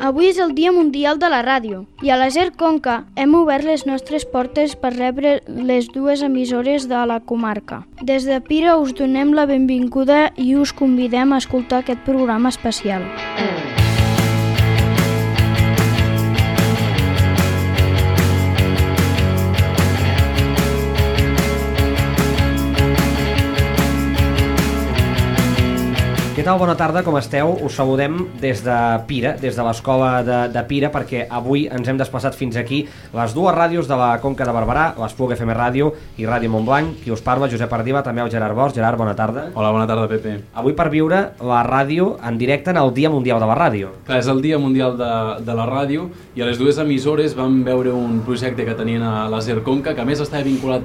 Avui és el Dia Mundial de la Ràdio i a la SER Conca hem obert les nostres portes per rebre les dues emissores de la comarca. Des de Pira us donem la benvinguda i us convidem a escoltar aquest programa especial. Què tal? Bona tarda, com esteu? Us saludem des de Pira, des de l'escola de Pira, perquè avui ens hem desplaçat fins aquí les dues ràdios de la Conca de Barberà, l'Espluga FM Ràdio i Ràdio Montblanc. Qui us parla, Josep Ardiba, també el Gerard Bosch. Gerard, bona tarda. Hola, bona tarda, Pepe. Avui per viure la ràdio en directe en el Dia Mundial de la Ràdio. Clar, és el Dia Mundial de la Ràdio i a les dues emissores vam veure un projecte que tenien a la SER Conca, que a més estava vinculat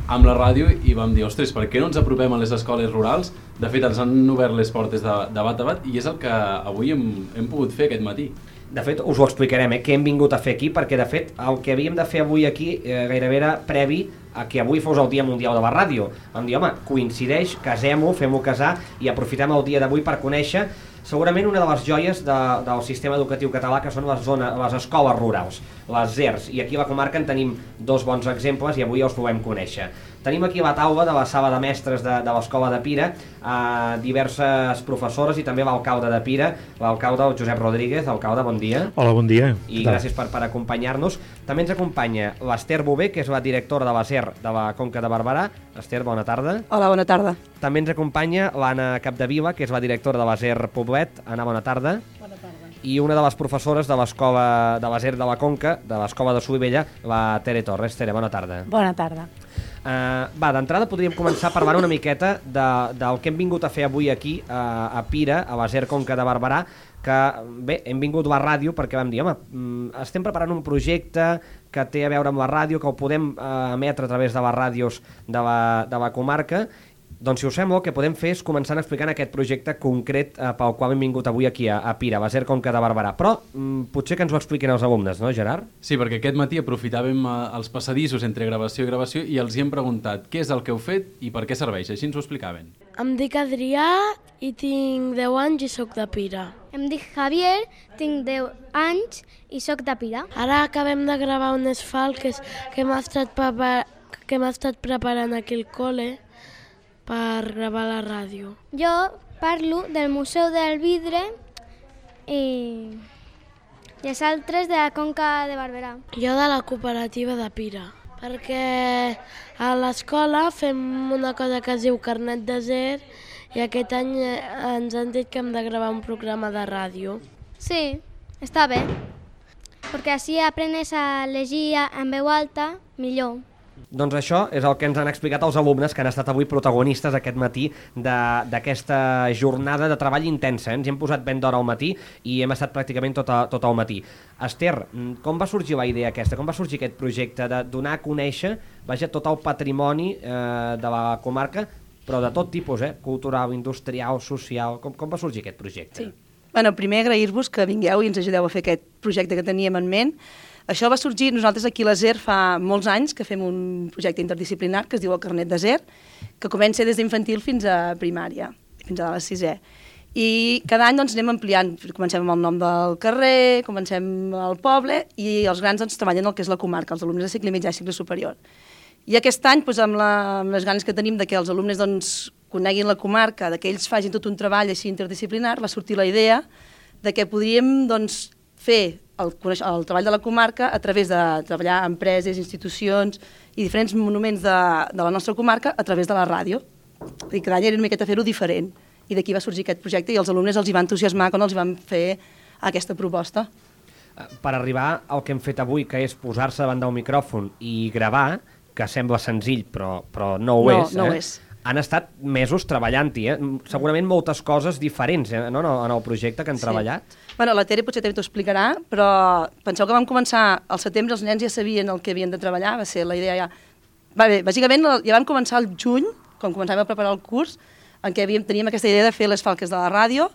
amb la ràdio, i vam dir, ostres, per què no ens apropem a les escoles rurals? De fet, ens han obert les portes de bat a bat i és el que avui hem pogut fer aquest matí. De fet, us ho explicarem, què hem vingut a fer aquí, perquè de fet el que havíem de fer avui aquí gairebé era previ a que avui fos el Dia Mundial de la Ràdio. Vam dir, home, coincideix, casem-ho, fem-ho casar i aprofitem el dia d'avui per conèixer segurament una de les joies del sistema educatiu català, que són les escoles rurals, les ZERs, i aquí a la comarca en tenim dos bons exemples i avui els volem conèixer. Tenim aquí a la taula de la sala de mestres de l'escola de Pira diverses professores i també l'alcalde de Pira, l'alcalde Josep Rodríguez. Alcalde, bon dia. Hola, bon dia. I gràcies per acompanyar-nos. També ens acompanya l'Ester Bové, que és la directora de la SER de la Conca de Barberà. Ester, bona tarda. Hola, bona tarda. També ens acompanya l'Anna Capdevila, que és la directora de la SER Poblet. Anna, bona tarda. Bona tarda. I una de les professores de l'escola de la SER de la Conca, de l'escola de Solivella, la Tere Torres. Tere, bona tarda. Bona tarda. D'entrada podríem començar parlant una miqueta del que hem vingut a fer avui aquí a Pira, a la SER Conca de Barberà, que bé, hem vingut a la ràdio perquè vam dir, home, estem preparant un projecte que té a veure amb la ràdio, que ho podem emetre a través de les ràdios de la comarca. Doncs si us sembla, el que podem fer és començar explicant aquest projecte concret pel qual hem vingut avui aquí a Pira, a la SER Conca de Barberà. Però potser que ens ho expliquin els alumnes, no, Gerard? Sí, perquè aquest matí aprofitàvem els passadissos entre gravació i gravació i els hi hem preguntat què és el que heu fet i per què serveix, així ens ho explicaven. Em dic Adrià i tinc 10 anys i sóc de Pira. Em dic Javier, tinc 10 anys i sóc de Pira. Ara acabem de gravar unes falques que hem estat preparant aquí al col·le per gravar la ràdio. Jo parlo del Museu del Vidre i els altres de la Conca de Barberà. Jo de la cooperativa de Pira, perquè a l'escola fem una cosa que es diu carnet de SER i aquest any ens han dit que hem de gravar un programa de ràdio. Sí, està bé, perquè així aprenes a llegir en veu alta millor. Doncs això és el que ens han explicat els alumnes que han estat avui protagonistes aquest matí d'aquesta jornada de treball intensa. Ens hi hem posat ben d'hora al matí i hem estat pràcticament tot el matí. Ester, com va sorgir la idea aquesta? Com va sorgir aquest projecte de donar a conèixer tot el patrimoni de la comarca, però de tot tipus, cultural, industrial, social? Com va sorgir aquest projecte? Sí. Bueno, primer agrair-vos que vingueu i ens ajudeu a fer aquest projecte que teníem en ment. Això va sorgir, nosaltres aquí a la SER fa molts anys que fem un projecte interdisciplinar que es diu el Carnet de SER, que comença des d'infantil fins a primària, fins a la 6è. I cada any anem ampliant, comencem amb el nom del carrer, comencem al poble i els grans treballen el que és la comarca, els alumnes de cicle mitjà i cicle superior. I aquest any, amb les ganes que tenim de que els alumnes coneguin la comarca, que ells facin tot un treball així interdisciplinar, va sortir la idea de que podríem fer el treball de la comarca a través de treballar amb empreses, institucions i diferents monuments de la nostra comarca a través de la ràdio. I cada any era una miqueta fer-ho diferent. I d'aquí va sorgir aquest projecte i els alumnes els hi va entusiasmar quan els van fer aquesta proposta. Per arribar al que hem fet avui, que és posar-se davant del micròfon i gravar, que sembla senzill però no ho és. No ho és. Han estat mesos treballant-hi, segurament moltes coses diferents en el projecte que han treballat. Bueno, la Tere potser també t'ho explicarà, però penseu que vam començar al setembre, els nens ja sabien el que havien de treballar, va ser la idea ja... Bàsicament ja vam començar al juny, quan començàvem a preparar el curs, en què teníem aquesta idea de fer les falques de la ràdio.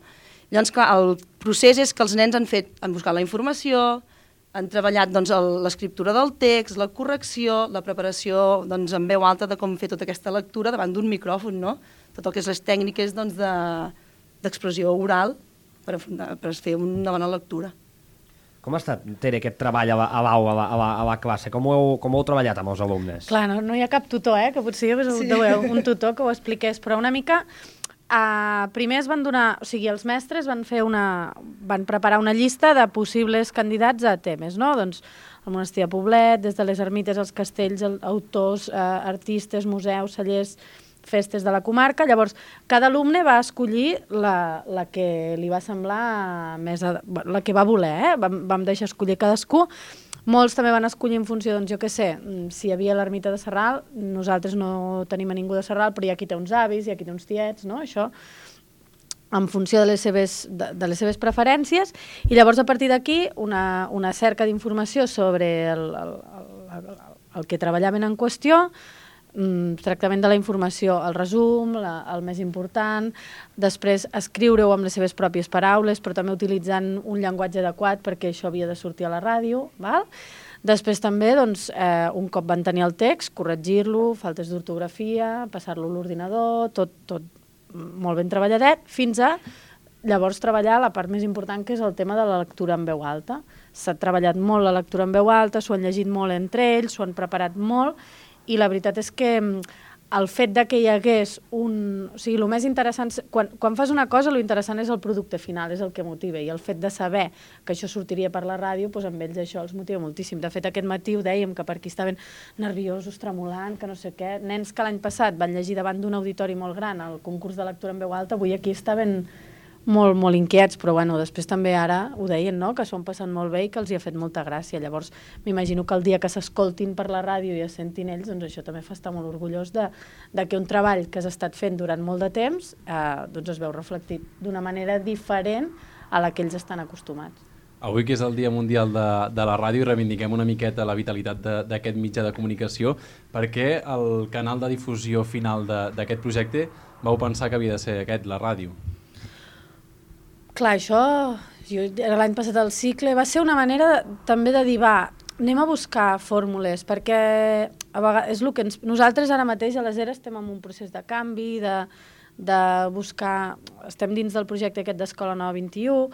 Llavors, clar, el procés és que els nens han buscat la informació, han treballat l'escriptura del text, la correcció, la preparació en veu alta de com fer tota aquesta lectura davant d'un micròfon, no? Tot el que és les tècniques d'expressió oral per fer una bona lectura. Com ha estat, Tere, aquest treball a la classe? Com ho heu treballat amb els alumnes? Clar, no hi ha cap tutor, que potser hi hagués un tutor que ho expliqués, però una mica... primer es van donar... O sigui, els mestres van preparar una llista de possibles candidats a temes, no? Doncs el monestir de Poblet, des de les ermites, els castells, autors, artistes, museus, cellers, festes de la comarca. Llavors, cada alumne va escollir la que li va semblar més... la que va voler, Vam deixar escollir cadascú. Molts també van escollir en funció, doncs jo què sé, si hi havia l'ermita de Sarral, nosaltres no tenim a ningú de Sarral, però hi ha qui té uns avis, hi ha qui té uns tiets, no? Això, en funció de les seves preferències, i llavors a partir d'aquí una cerca d'informació sobre el que treballaven en qüestió, tractament de la informació, el resum, el més important, després escriure-ho amb les seves pròpies paraules, però també utilitzant un llenguatge adequat perquè això havia de sortir a la ràdio, val? Després també, doncs, un cop van tenir el text, corregir-lo, faltes d'ortografia, passar-lo a l'ordinador, tot molt ben treballadet, fins a llavors treballar la part més important, que és el tema de la lectura en veu alta. S'ha treballat molt la lectura en veu alta, s'ho han llegit molt entre ells, s'ho han preparat molt, i la veritat és que el fet de que hi hagués O sigui, el més interessant... Quan fas una cosa, el interessant és el producte final, és el que motiva, i el fet de saber que això sortiria per la ràdio, doncs amb ells això els motiva moltíssim. De fet, aquest matí ho dèiem, que per aquí estaven nerviosos, tremolant, que no sé què. Nens que l'any passat van llegir davant d'un auditori molt gran el concurs de lectura en veu alta, avui aquí estaven molt, molt inquiets, però bueno, després també ara ho deien, no?, que s'ho han passat molt bé i que els hi ha fet molta gràcia. Llavors, m'imagino que el dia que s'escoltin per la ràdio i es sentin ells, doncs això també fa estar molt orgullós de que un treball que has estat fent durant molt de temps doncs es veu reflectit d'una manera diferent a la que ells estan acostumats. Avui, que és el Dia Mundial de la Ràdio, reivindiquem una miqueta la vitalitat d'aquest mitjà de comunicació. Per què el canal de difusió final d'aquest projecte vau pensar que havia de ser aquest, la ràdio? Clar, això, l'any passat al cicle, va ser una manera també de dir, anem a buscar fórmules, perquè a vegades és el que nosaltres ara mateix a l'ESER estem en un procés de canvi, de buscar, estem dins del projecte aquest d'Escola Nova 21,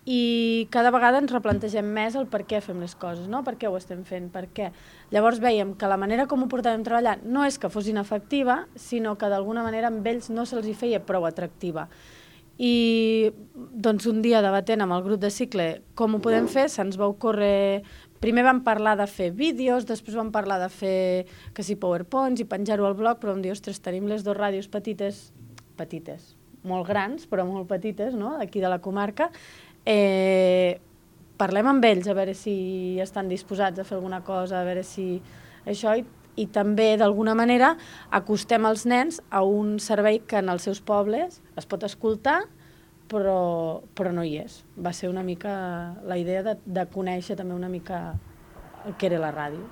i cada vegada ens replantegem més el per què fem les coses, no? Per què ho estem fent, per què. Llavors veiem que la manera com ho portàvem treballant no és que fos inefectiva, sinó que d'alguna manera amb ells no se'ls hi feia prou atractiva. I doncs un dia debatent amb el grup de cicle com ho podem fer, se'ns va ocórrer... Primer vam parlar de fer vídeos, després vam parlar de fer que si PowerPoints i penjar-ho al blog, però vam dir, ostres, tenim les dues ràdios petites, molt grans, però molt petites, no?, d'aquí de la comarca. Parlem amb ells a veure si estan disposats a fer alguna cosa, a veure si això... I també, d'alguna manera, acostem els nens a un servei que en els seus pobles es pot escoltar, però no hi és. Va ser una mica la idea de conèixer també una mica el que era la ràdio.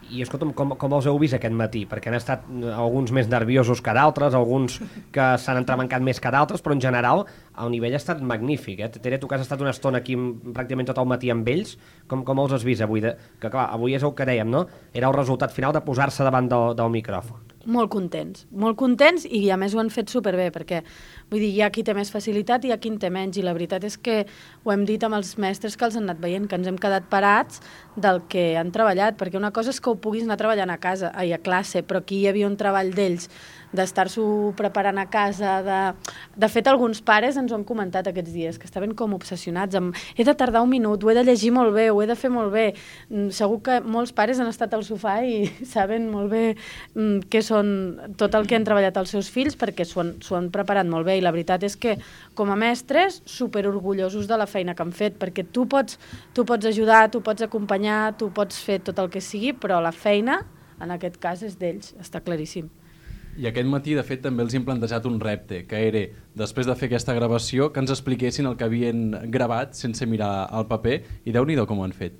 I escolta'm, com els heu vist aquest matí? Perquè han estat alguns més nerviosos que d'altres, alguns que s'han entrebancat més que d'altres, però en general el nivell ha estat magnífic. Tere, tu que has estat una estona aquí pràcticament tot el matí amb ells, com els has vist avui? Que clar, avui és el que dèiem, no? Era el resultat final de posar-se davant del micròfon. Molt contents i a més ho han fet superbé, perquè vull dir, hi ha qui té més facilitat i hi ha qui en té menys, i la veritat és que ho hem dit amb els mestres que els han anat veient, que ens hem quedat parats del que han treballat, perquè una cosa és que ho puguis anar treballant a casa, a classe, però aquí hi havia un treball d'ells d'estar-s'ho preparant a casa. De fet, alguns pares ens ho han comentat aquests dies, que estaven com obsessionats amb he de tardar un minut, ho he de llegir molt bé, ho he de fer molt bé. Segur que molts pares han estat al sofà i saben molt bé què són tot el que han treballat els seus fills, perquè s'ho han preparat molt bé, i la veritat és que com a mestres superorgullosos de la feina que han fet, perquè tu pots ajudar, tu pots acompanyar, tu pots fer tot el que sigui, però la feina en aquest cas és d'ells, està claríssim. I aquest matí, de fet, també els hem plantejat un repte, que era, després de fer aquesta gravació, que ens expliquessin el que havien gravat sense mirar el paper, i Déu-n'hi-do com ho han fet.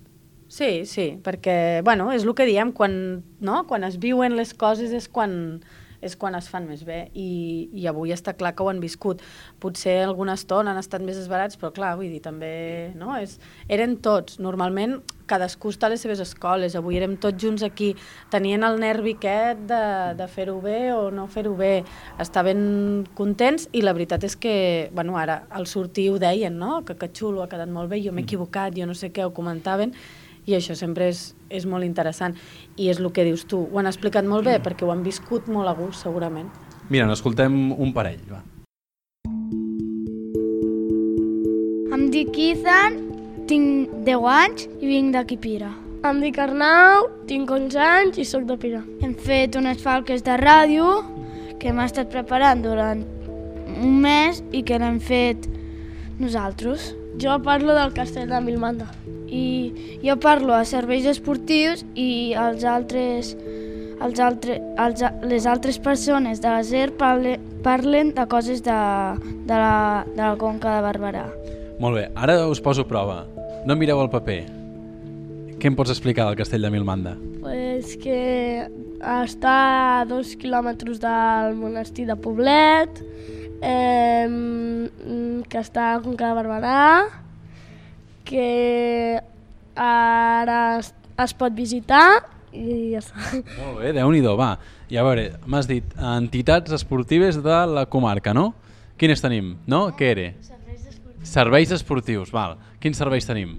Sí, perquè, bueno, és el que diem, quan es viuen les coses és quan és quan es fan més bé, i avui està clar que ho han viscut. Potser alguna estona han estat més esbarats, però clar, vull dir, també, no? Eren tots, normalment cadascú està a les seves escoles, avui érem tots junts aquí, tenien el nervi aquest de fer-ho bé o no fer-ho bé, estaven contents, i la veritat és que, bueno, ara al sortir ho deien, no? Que xulo, ha quedat molt bé, jo m'he equivocat, jo no sé què, ho comentaven, i això sempre és molt interessant. I és el que dius tu, ho han explicat molt bé perquè ho han viscut molt a gust, segurament. Mira, n'escoltem un parell, va. Em dic Ethan, tinc 10 anys i vinc d'aquí Pira. Em dic Arnau, tinc 11 anys i sóc de Pira. Hem fet unes falques de ràdio que hem estat preparant durant un mes i que l'hem fet nosaltres. Jo parlo del castell de Milmanda. I jo parlo a serveis esportius i les altres persones de la SER parlen de coses de la Conca de Barberà. Molt bé, ara us poso prova. No mireu el paper. Què em pots explicar del castell de Milmanda? Pues que està a 2 quilòmetres del monestir de Poblet, que està a Conca de Barberà, que ara es pot visitar i ja està. Molt bé, Déu-n'hi-do, va. I a veure, m'has dit entitats esportives de la comarca, no? Quines tenim? No? Què era? Serveis esportius, val. Quins serveis tenim?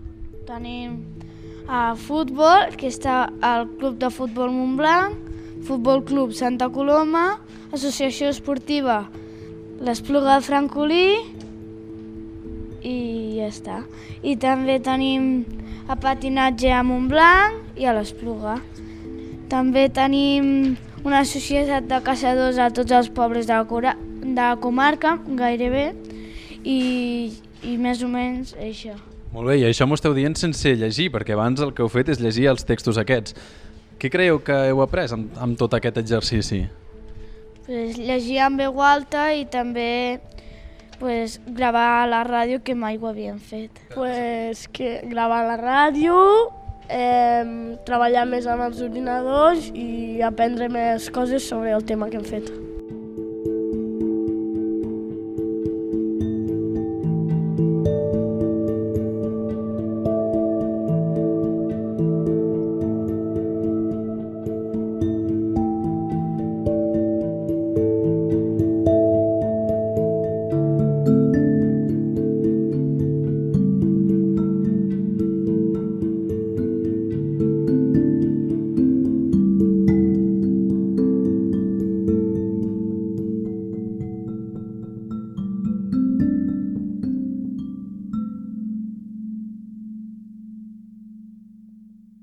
Tenim futbol, que està al Club de Futbol Montblanc, Futbol Club Santa Coloma, Associació Esportiva l'Espluga de Francolí, i ja està. I també tenim a patinatge a Montblanc i a l'Espluga. També tenim una societat de caçadors a tots els pobles de la comarca, gairebé, i més o menys això. Molt bé, i això m'ho esteu dient sense llegir, perquè abans el que heu fet és llegir els textos aquests. Què creieu que heu après amb tot aquest exercici? Llegir en veu alta i també gravar a la ràdio, que mai ho havíem fet. Que gravar a la ràdio, treballar més amb els ordinadors i aprendre més coses sobre el tema que hem fet.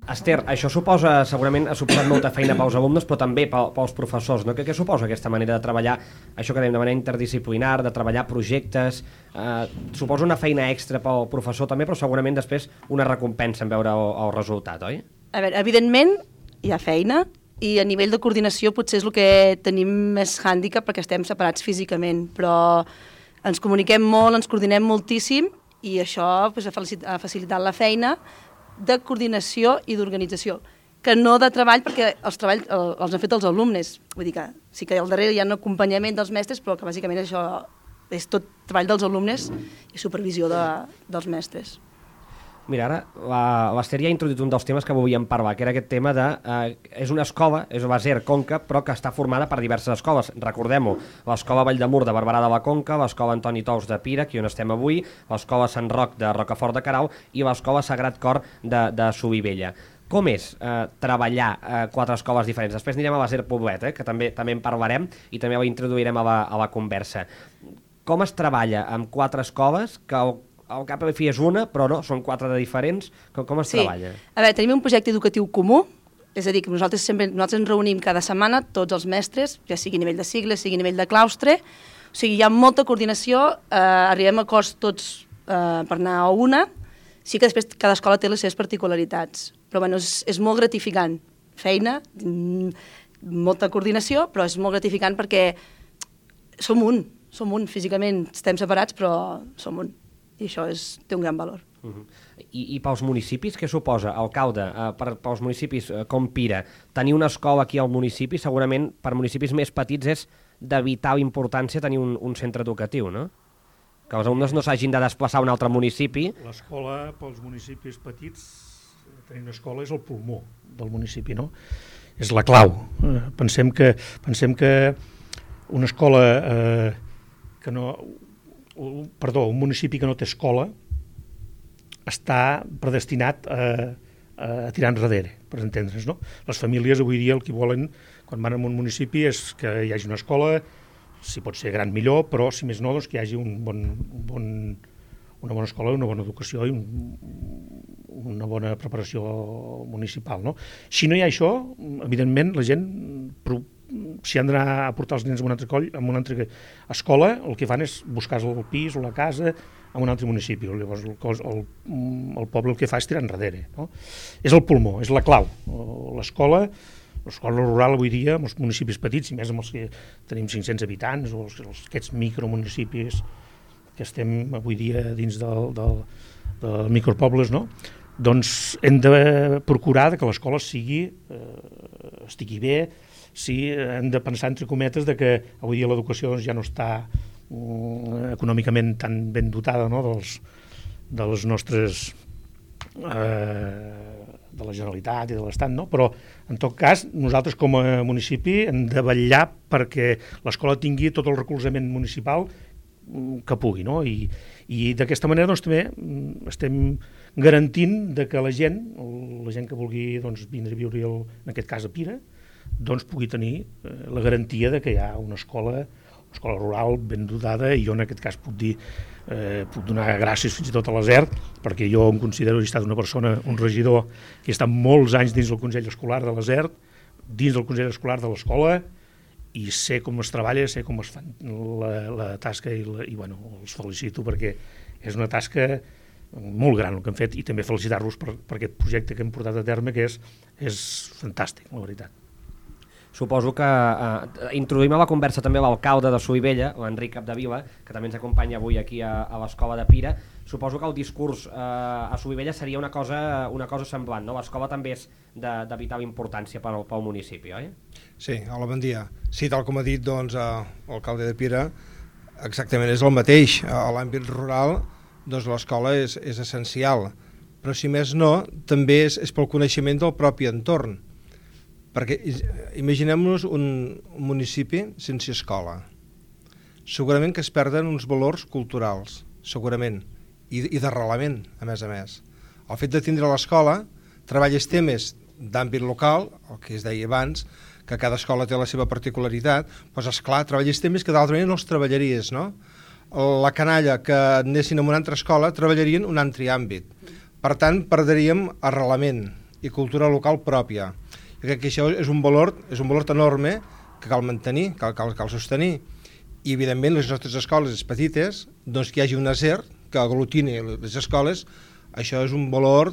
Esther, això suposa, segurament ha suposat molta feina pels alumnes, però també pels professors, no? Què suposa aquesta manera de treballar, això que dèiem, de manera interdisciplinar, de treballar projectes? Suposa una feina extra pel professor també, però segurament després una recompensa en veure el resultat, oi? A veure, evidentment hi ha feina, i a nivell de coordinació potser és el que tenim més hàndicap perquè estem separats físicament, però ens comuniquem molt, ens coordinem moltíssim, i això ha facilitat la feina de coordinació i d'organització, que no de treball, perquè els treballs els han fet els alumnes. Vull dir que sí que al darrere hi ha un acompanyament dels mestres, però que bàsicament això és tot treball dels alumnes i supervisió dels mestres. Mira, ara l'Esther ja ha introduït un dels temes que volíem parlar, que era aquest tema de... és una escola, és la SER Conca, però que està formada per diverses escoles. Recordem-ho, l'escola Valldemur de Barberà de la Conca, l'escola Antoni Tous de Pira, aquí on estem avui, l'escola Sant Roc de Rocafort de Queralt i l'escola Sagrat Cor de Solivella. Com és treballar quatre escoles diferents? Després anirem a la SER Poblet, que també en parlarem i també la introduirem a la conversa. Com es treballa amb quatre escoles que al cap i a la fi és una, però no, són quatre de diferents. Com es treballa? A veure, tenim un projecte educatiu comú, és a dir, que nosaltres ens reunim cada setmana, tots els mestres, ja sigui a nivell de cicle, sigui a nivell de claustre, o sigui, hi ha molta coordinació, arribem a acords tots per anar a una, sí que després cada escola té les seves particularitats, però bueno, és molt gratificant, feina, molta coordinació, però és molt gratificant perquè som un, físicament estem separats, però som un. I això té un gran valor. I pels municipis, què suposa, alcalde, pels municipis com Pira, tenir una escola aquí al municipi, segurament per municipis més petits és de vital importància tenir un centre educatiu, no? Que els alumnes no s'hagin de desplaçar a un altre municipi. L'escola pels municipis petits, tenir una escola és el pulmó del municipi, no? És la clau. Pensem que una escola un municipi que no té escola està predestinat a tirar enrere, per entendre's, no? Les famílies avui dia el que volen quan van a un municipi és que hi hagi una escola, si pot ser gran millor, però si més no, doncs que hi hagi una bona escola, una bona educació i una bona preparació municipal, no? Si no hi ha això, evidentment la gent, si han d'anar a portar els nens a una altra escola, el que fan és buscar el pis o la casa en un altre municipi. Llavors el poble el que fa és tirar enrere, no? És el pulmó, és la clau. L'escola rural avui dia, amb els municipis petits, i més amb els que tenim 500 habitants, o aquests micromunicipis que estem avui dia dins del micropobles, no? Doncs hem de procurar que l'escola estigui bé, hem de pensar, entre cometes, que avui dia l'educació ja no està econòmicament tan ben dotada, no? dels nostres de la Generalitat i de l'Estat, no? Però en tot cas nosaltres com a municipi hem de vetllar perquè l'escola tingui tot el recolzament municipal que pugui, no? I d'aquesta manera doncs, també estem garantint que la gent que vulgui vindre a viure en aquest cas a Pira doncs pugui tenir la garantia que hi ha una escola rural ben dotada, i jo en aquest cas puc donar gràcies fins i tot a l'ASER, perquè jo em considero que he estat una persona, un regidor que ha estat molts anys dins del Consell Escolar de l'ASER, dins del Consell Escolar de l'escola, i sé com es treballa, sé com es fan la tasca i els felicito perquè és una tasca molt gran el que han fet, i també felicitar-los per aquest projecte que hem portat a terme, que és fantàstic, la veritat. Suposo que introduïm a la conversa també l'alcalde de Solivella, l'Enric Capdevila, que també ens acompanya avui aquí a l'escola de Pira. Suposo que el discurs a Solivella seria una cosa semblant, no? L'escola també és de vital importància pel municipi, oi? Sí, hola, bon dia. Sí, tal com ha dit l'alcalde de Pira, exactament és el mateix. A l'àmbit rural l'escola és essencial, però si més no, també és pel coneixement del propi entorn. Perquè imaginem-nos un municipi sense escola. Segurament que es perden uns valors culturals, segurament, i d'arrelament, a més. El fet de tindre l'escola, treballes temes d'àmbit local, el que es deia abans, que cada escola té la seva particularitat, doncs esclar, treballes temes que d'altra manera no els treballaries, no? La canalla que anessin a una altra escola treballarien un altre àmbit. Per tant, perdríem arrelament i cultura local pròpia. Jo crec que això és un valor enorme que cal mantenir, cal sostenir. I, evidentment, les nostres escoles petites, doncs que hi hagi una ASER que aglutini les escoles, això és un valor...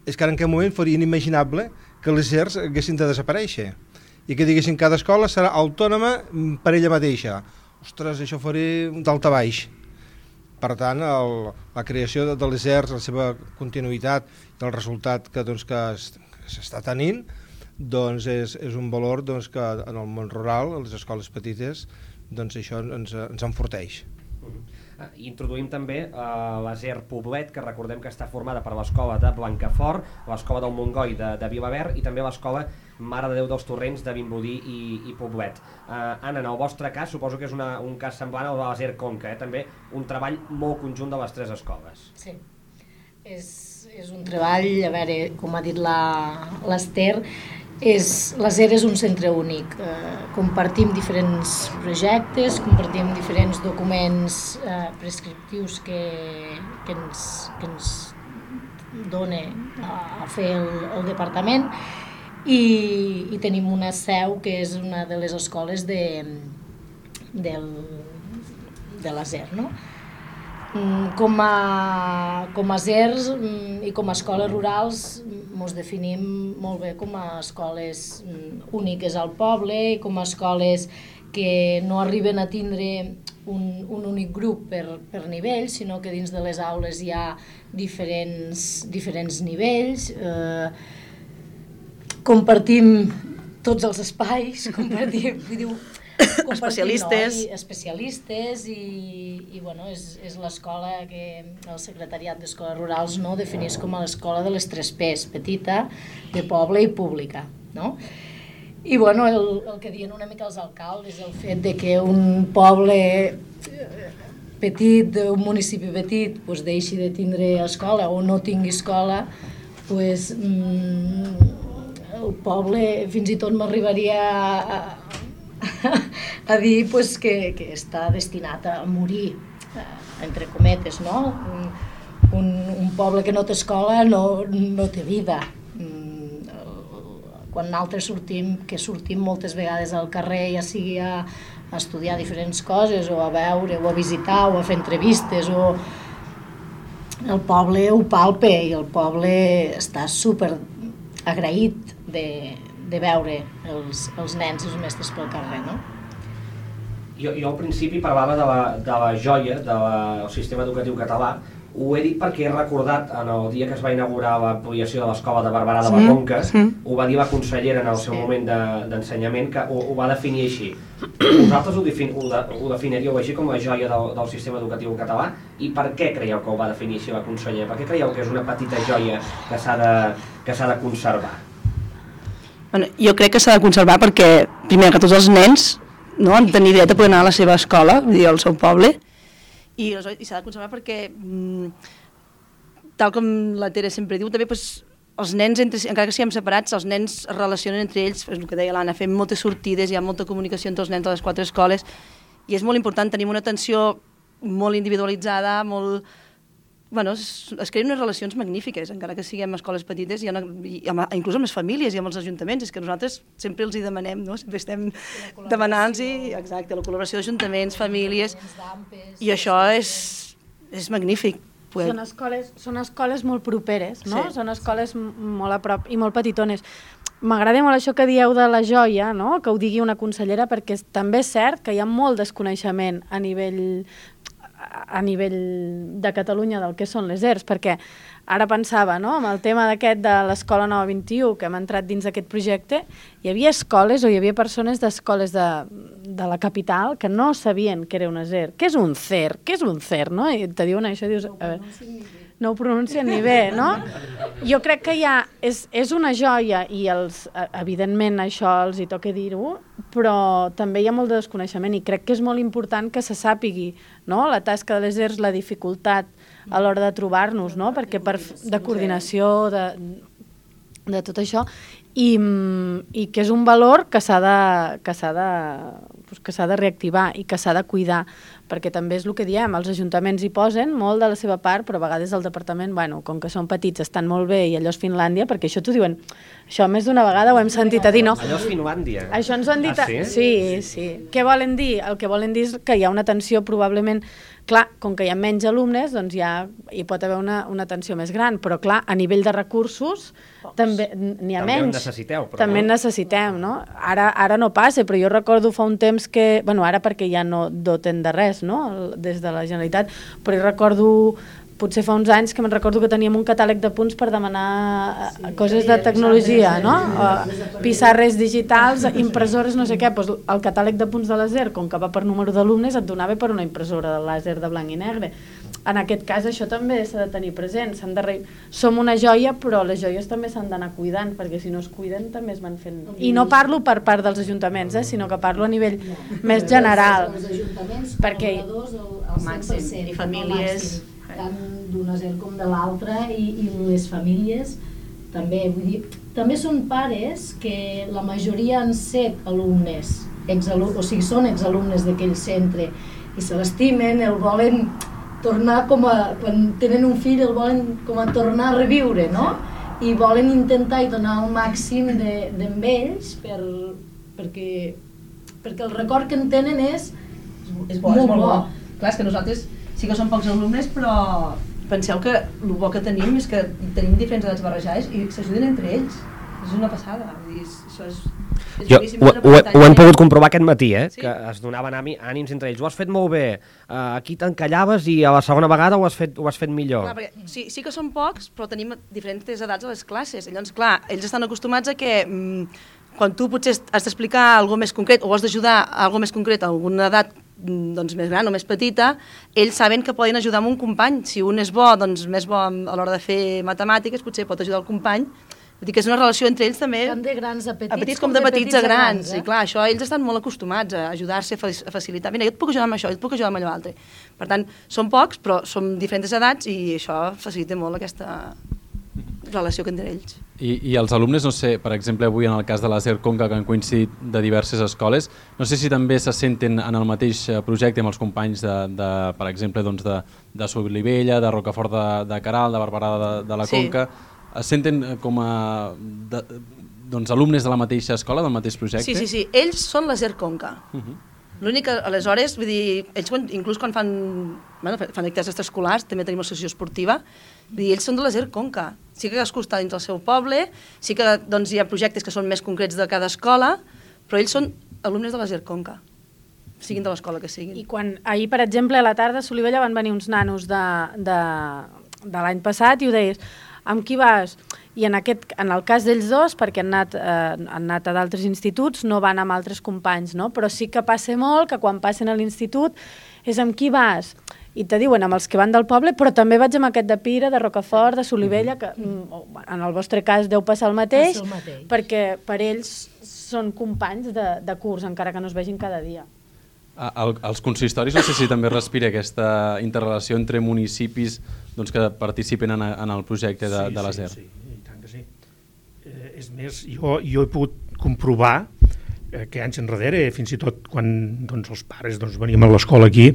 És que en aquest moment faria inimaginable que les ASERs haguessin de desaparèixer i que diguessin que cada escola serà autònoma per ella mateixa. Ostres, això faria d'alta baix. Per tant, la creació de les ASERs, la seva continuïtat i el resultat que s'està tenint, doncs és un valor que en el món rural, a les escoles petites, doncs això ens enforteix. Introduïm també l'ASER Poblet, que recordem que està formada per l'escola de Blancafort, l'escola del Montgoi de Vilaverd i també l'escola Mare de Déu dels Torrents de Vimbodí i Poblet. Anna, en el vostre cas, suposo que és un cas semblant al de l'ASER Conca, també un treball molt conjunt de les tres escoles. Sí, és un treball, a veure, com ha dit l'Ester, l'ASER és un centre únic. Compartim diferents projectes, compartim diferents documents prescriptius que ens dona a fer el departament i tenim una seu que és una de les escoles de l'ASER, no? Com a ASERs i com a escoles rurals ens definim molt bé com a escoles úniques al poble i com a escoles que no arriben a tindre un únic grup per nivell, sinó que dins de les aules hi ha diferents nivells, compartim tots els espais, compartim especialistes i bueno, és l'escola que el secretariat d'Escoles Rurals defineix com a l'escola de les 3 P's, petita, de poble i pública, no? I bueno, el que diuen una mica els alcaldes, el fet de que un poble petit, un municipi petit, deixi de tindre escola o no tingui escola, el poble fins i tot m'arribaria a dir que està destinat a morir, entre cometes, no? Un poble que no té escola no té vida. Quan nosaltres sortim moltes vegades al carrer, ja sigui a estudiar diferents coses, o a veure, o a visitar, o a fer entrevistes, el poble ho palpa i el poble està super agraït de veure els nens i els mestres pel carrer, no? Jo al principi parlava de la joia del sistema educatiu català. Ho he dit perquè he recordat en el dia que es va inaugurar l'ampliació de l'escola de Barberà de la Conca, ho va dir la consellera en el seu moment d'ensenyament, que ho va definir així. Vosaltres ho definiríeu així com la joia del sistema educatiu català? I per què creieu que ho va definir així la consellera? Per què creieu que és una petita joia que s'ha de conservar? Jo crec que s'ha de conservar perquè, primer que tots els nens han de tenir dret a poder anar a la seva escola, vull dir, al seu poble, i s'ha de conservar perquè, tal com la Tere sempre diu, també els nens, encara que siguem separats, els nens es relacionen entre ells, és el que deia l'Anna, fem moltes sortides, hi ha molta comunicació entre els nens de les 4 escoles, i és molt important, tenim una atenció molt individualitzada, es creen unes relacions magnífiques, encara que siguem escoles petites, inclús amb les famílies i amb els ajuntaments, és que nosaltres sempre els hi demanem, sempre estem demanant-los, exacte, la col·laboració d'ajuntaments, famílies, i això és magnífic. Són escoles molt properes, no? Són escoles molt a prop i molt petitones. M'agrada molt això que dieu de la joia, que ho digui una consellera, perquè també és cert que hi ha molt desconeixement a nivell de Catalunya del que són les ERS, perquè ara pensava, amb el tema d'aquest de l'Escola Nova 21, que hem entrat dins d'aquest projecte, hi havia escoles o hi havia persones d'escoles de la capital que no sabien què era una ER. Què és un CER? Què és un CER? No? I te diuen això i dius... No ho pronuncien ni bé, no? Jo crec que és una joia i evidentment això els hi toca dir-ho, però també hi ha molt de desconeixement i crec que és molt important que se sàpigui la tasca de les ERS, la dificultat a l'hora de trobar-nos, perquè de coordinació, de tot això, i que és un valor que s'ha de reactivar i que s'ha de cuidar, perquè també és el que diem, els ajuntaments hi posen molt de la seva part, però a vegades el departament, com que són petits, estan molt bé i allò és Finlàndia, perquè això t'ho diuen, això més d'una vegada ho hem sentit a dir, no? Allò és Finlàndia? Això ens ho han dit... Sí. Què volen dir? El que volen dir és que hi ha una atenció probablement... Clar, com que hi ha menys alumnes, doncs hi pot haver una atenció més gran, però clar, a nivell de recursos també n'hi ha menys. També en necessiteu. També en necessitem, no? Ara no passa, però jo recordo fa un temps que... Ara perquè ja no doten de res, no?, des de la Generalitat, però jo recordo... Potser fa uns anys que me'n recordo que teníem un catàleg de punts per demanar coses de tecnologia, no? Pissarres digitals, impressores, no sé què. El catàleg de punts de làser, com que va per número d'alumnes, et donava per una impressora de làser de blanc i negre. En aquest cas això també s'ha de tenir present. Som una joia, però les joies també s'han d'anar cuidant, perquè si no es cuiden també es van fent... I no parlo per part dels ajuntaments, sinó que parlo a nivell més general. Els ajuntaments, col·laboradors, al màxim, i famílies... tant d'una ER com de l'altra, i les famílies també, vull dir, també són pares que la majoria han set alumnes, o sigui, són exalumnes d'aquell centre i se l'estimen, el volen tornar quan tenen un fill el volen com a tornar a reviure, no? I volen intentar i donar el màxim d'amb ells perquè el record que en tenen és molt bo. Clar, és que nosaltres sí que són pocs alumnes, però penseu que el bo que tenim és que tenim diferents edats barrejades i s'ajuden entre ells. És una passada. Això és... Ho hem pogut comprovar aquest matí, que es donaven ànims entre ells. Ho has fet molt bé, aquí t'encallaves i a la segona vegada ho has fet millor. Clar, perquè sí que són pocs, però tenim diferents edats a les classes. Llavors, clar, ells estan acostumats a que quan tu potser has d'explicar alguna més concret o has d'ajudar a alguna més concret a alguna edat doncs, més gran o més petita, ells saben que poden ajudar amb un company. Si un és bo, doncs més bo a l'hora de fer matemàtiques, potser pot ajudar el company. Vull dir que és una relació entre ells també... Tant de grans a petits, a petits com de petits a grans. I clar, això ells estan molt acostumats a ajudar-se, a facilitar. Mira, jo et puc ajudar amb això, jo et puc ajudar amb allò altre. Per tant, són pocs, però som diferents edats i això facilita molt aquesta relació que entre ells. I els alumnes, no sé, per exemple, avui en el cas de la SER Conca, que han coincidit de diverses escoles, no sé si també se senten en el mateix projecte amb els companys per exemple, de Solivella, de Rocafort de Queralt, de Barberà de la Conca, es senten com a alumnes de la mateixa escola, del mateix projecte? Sí, ells són la SER Conca. L'únic que, aleshores, vull dir, ells inclús quan fan activitats extraescolars, també tenim l'associació esportiva, vull dir, ells són de la SER Conca. Sí que cadascú està dins del seu poble, sí que doncs, hi ha projectes que són més concrets de cada escola, però ells són alumnes de la SER Conca, siguin de l'escola que siguin. I quan ahir, per exemple, a la tarda a Solivella van venir uns nanos de l'any passat i ho deies, amb qui vas? I en el cas d'ells dos, perquè han anat a d'altres instituts, no van amb altres companys, no? Però sí que passa molt que quan passen a l'institut és amb qui vas? I te diuen amb els que van del poble, però també vaig amb aquest de Pira, de Rocafort, de Solivella, que en el vostre cas deu passar el mateix, perquè per ells són companys de curs, encara que no es vegin cada dia. Els consistoris, no sé si també respira aquesta interrelació entre municipis que participen en el projecte de la SER. Sí, i tant que sí. És més, jo he pogut comprovar que anys enrere, fins i tot quan els pares veníem a l'escola aquí,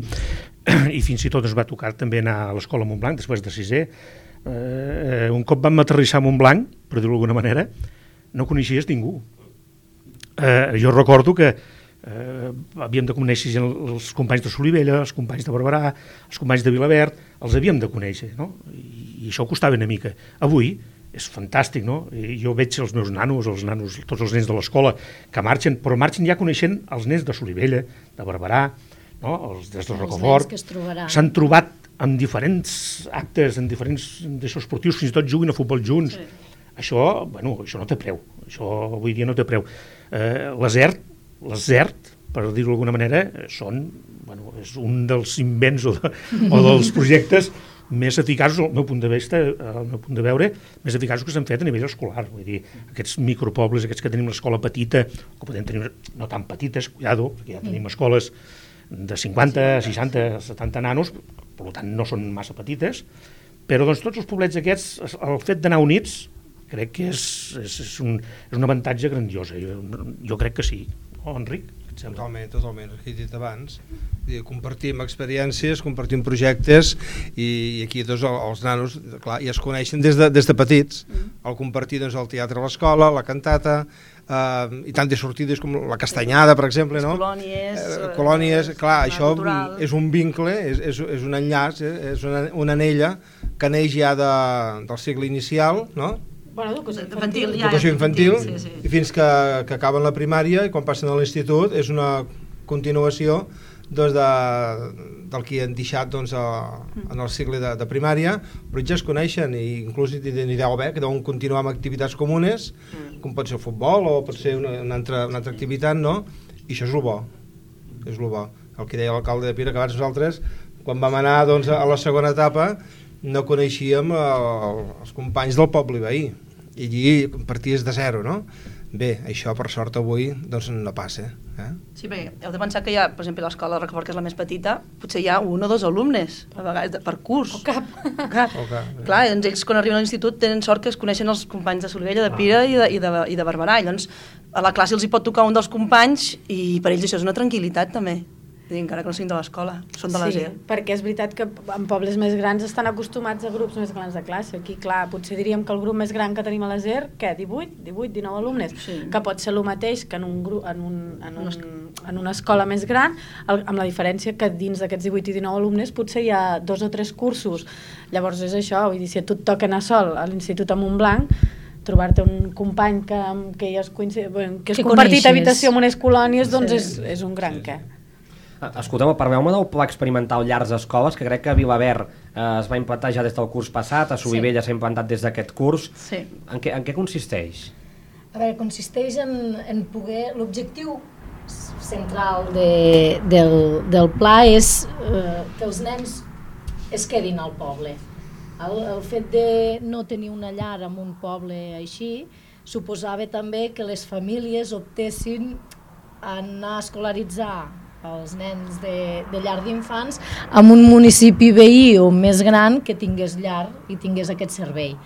i fins i tot ens va tocar també anar a l'escola a Montblanc, després de sisè, un cop vam aterrissar a Montblanc, per dir-ho d'alguna manera, no coneixies ningú. Jo recordo que havíem de conèixer els companys de Solivella, els companys de Barberà, els companys de Vilaverd, els havíem de conèixer, no? I això costava una mica. Avui és fantàstic, no? Jo veig els meus nanos, tots els nens de l'escola que marxen, però marxen ja coneixent els nens de Solivella, de Barberà, no? Els des de Rocafort. S'han trobat en diferents actes, en diferents esportius, fins i tot juguen a futbol junts. Això no té preu, això avui dia no té preu. Les ZERT, per dir-ho d'alguna manera, és un dels invents o dels projectes més eficaços, al meu punt de vista, al meu punt de veure, més eficaços que s'han fet a nivell escolar. Vull dir, aquests micropobles, aquests que tenim l'escola petita, que podem tenir no tan petites, cuidado, perquè ja tenim escoles de 50, 60, 70 nanos, per tant no són massa petites, però tots els poblets aquests, el fet d'anar units, crec que és un avantatge grandiós. Jo crec que sí. Enric? Totalment, he dit abans. Compartim experiències, compartim projectes i aquí els nanos clar, ja es coneixen des de petits. Al compartir el teatre a l'escola, la cantata, i tantes sortides com la castanyada, per exemple. Les colònies, clar, això és un vincle, és un enllaç, és una anella que neix ja del segle inicial, no? Educació infantil, i fins que acaben la primària i quan passen a l'institut és una continuació del que han deixat en el cicle de primària, però ja es coneixen i inclús n'hi deu haver que deuen continuar amb activitats comunes, com pot ser el futbol o pot ser una altra activitat, no? I això és el bo, el que deia l'alcalde de Pira, que abans nosaltres, quan vam anar a la segona etapa, no coneixíem els companys del poble veí i allí parties de zero, no? Bé, això per sort avui no passa. Sí, perquè heu de pensar que hi ha, per exemple, l'escola de Rocafort, que és la més petita, potser hi ha 1 o 2 alumnes a vegades per curs. O cap. Clar, doncs ells quan arriben a l'institut tenen sort que es coneixen els companys de Solivella, de Pira i de Barberà, i llavors a la classe els hi pot tocar un dels companys i per ells això és una tranquil·litat també. Encara que no siguin de l'escola, són de la SER. Perquè és veritat que en pobles més grans estan acostumats a grups més grans de classe. Aquí, clar, potser diríem que el grup més gran que tenim a la SER, què, 18, 19 alumnes, que pot ser el mateix que en una escola més gran, amb la diferència que dins d'aquests 18 i 19 alumnes potser hi ha 2 o 3 cursos. Llavors és això, vull dir, si a tu et toca anar sol a l'Institut a Montblanc, trobar-te un company que ja has compartit habitació amb unes colònies, doncs és un gran què. Escolteu, parleu-me del pla experimental Llars Escoles, que crec que a Vilaverd es va implantar ja des del curs passat, a Solivella s'ha implantat des d'aquest curs. En què consisteix? A veure, consisteix en poder... L'objectiu central del pla és que els nens es quedin al poble. El fet de no tenir una llar en un poble així suposava també que les famílies optessin a anar a escolaritzar els nens de llar d'infants en un municipi veí o més gran que tingués llar i tingués aquest servei.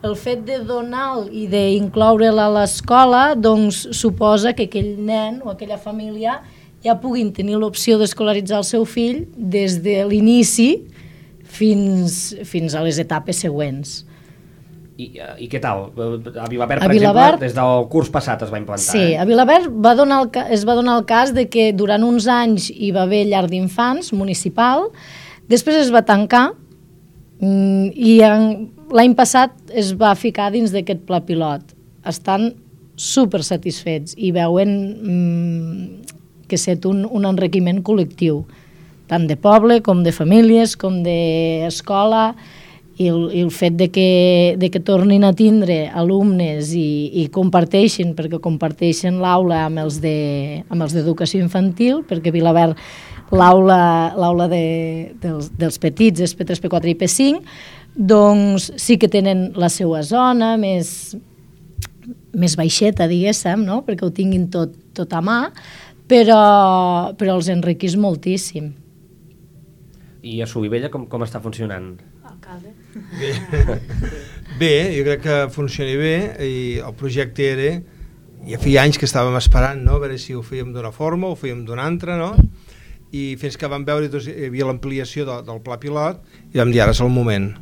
El fet de donar i d'incloure'l a l'escola doncs suposa que aquell nen o aquella família ja puguin tenir l'opció d'escolaritzar el seu fill des de l'inici fins a les etapes següents. I què tal? A Vilaverd, per exemple, des del curs passat es va implantar. Sí, a Vilaverd es va donar el cas de que durant uns anys hi va haver llar d'infants municipal, després es va tancar i l'any passat es va ficar dins d'aquest pla pilot. Estan super satisfets i veuen que set un enriquiment col·lectiu, tant de poble com de famílies, com d'escola, i el fet de que tornin a tindre alumnes i comparteixen, perquè comparteixen l'aula amb els d'educació infantil, perquè a Vilaverd l'aula dels petits és P3, P4 i P5, doncs sí que tenen la seva zona més baixeta, diguéssim, no? Perquè ho tinguin tot a mà, però els enriquís moltíssim. I a Solivella com està funcionant? Bé, jo crec que funciona bé i el projecte era, ja feia anys que estàvem esperant, no? A veure si ho fèiem d'una forma o ho fèiem d'una altra, no? I fins que vam veure que hi havia l'ampliació del pla pilot i vam dir ara és el moment,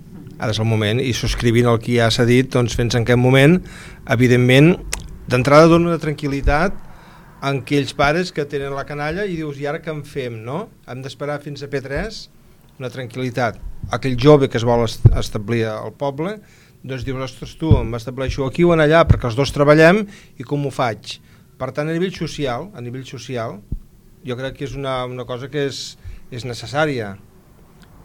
i subscrivint el que ja s'ha dit, doncs fins en aquest moment, evidentment, d'entrada dona una tranquil·litat a aquells pares que tenen la canalla i dius, i ara què en fem, no? Hem d'esperar fins a P3, una tranquil·litat. Aquell jove que es vol establir al poble, doncs dius, ostres, tu, em estableixo aquí o allà, perquè els dos treballem i com ho faig? Per tant, a nivell social, jo crec que és una cosa que és necessària.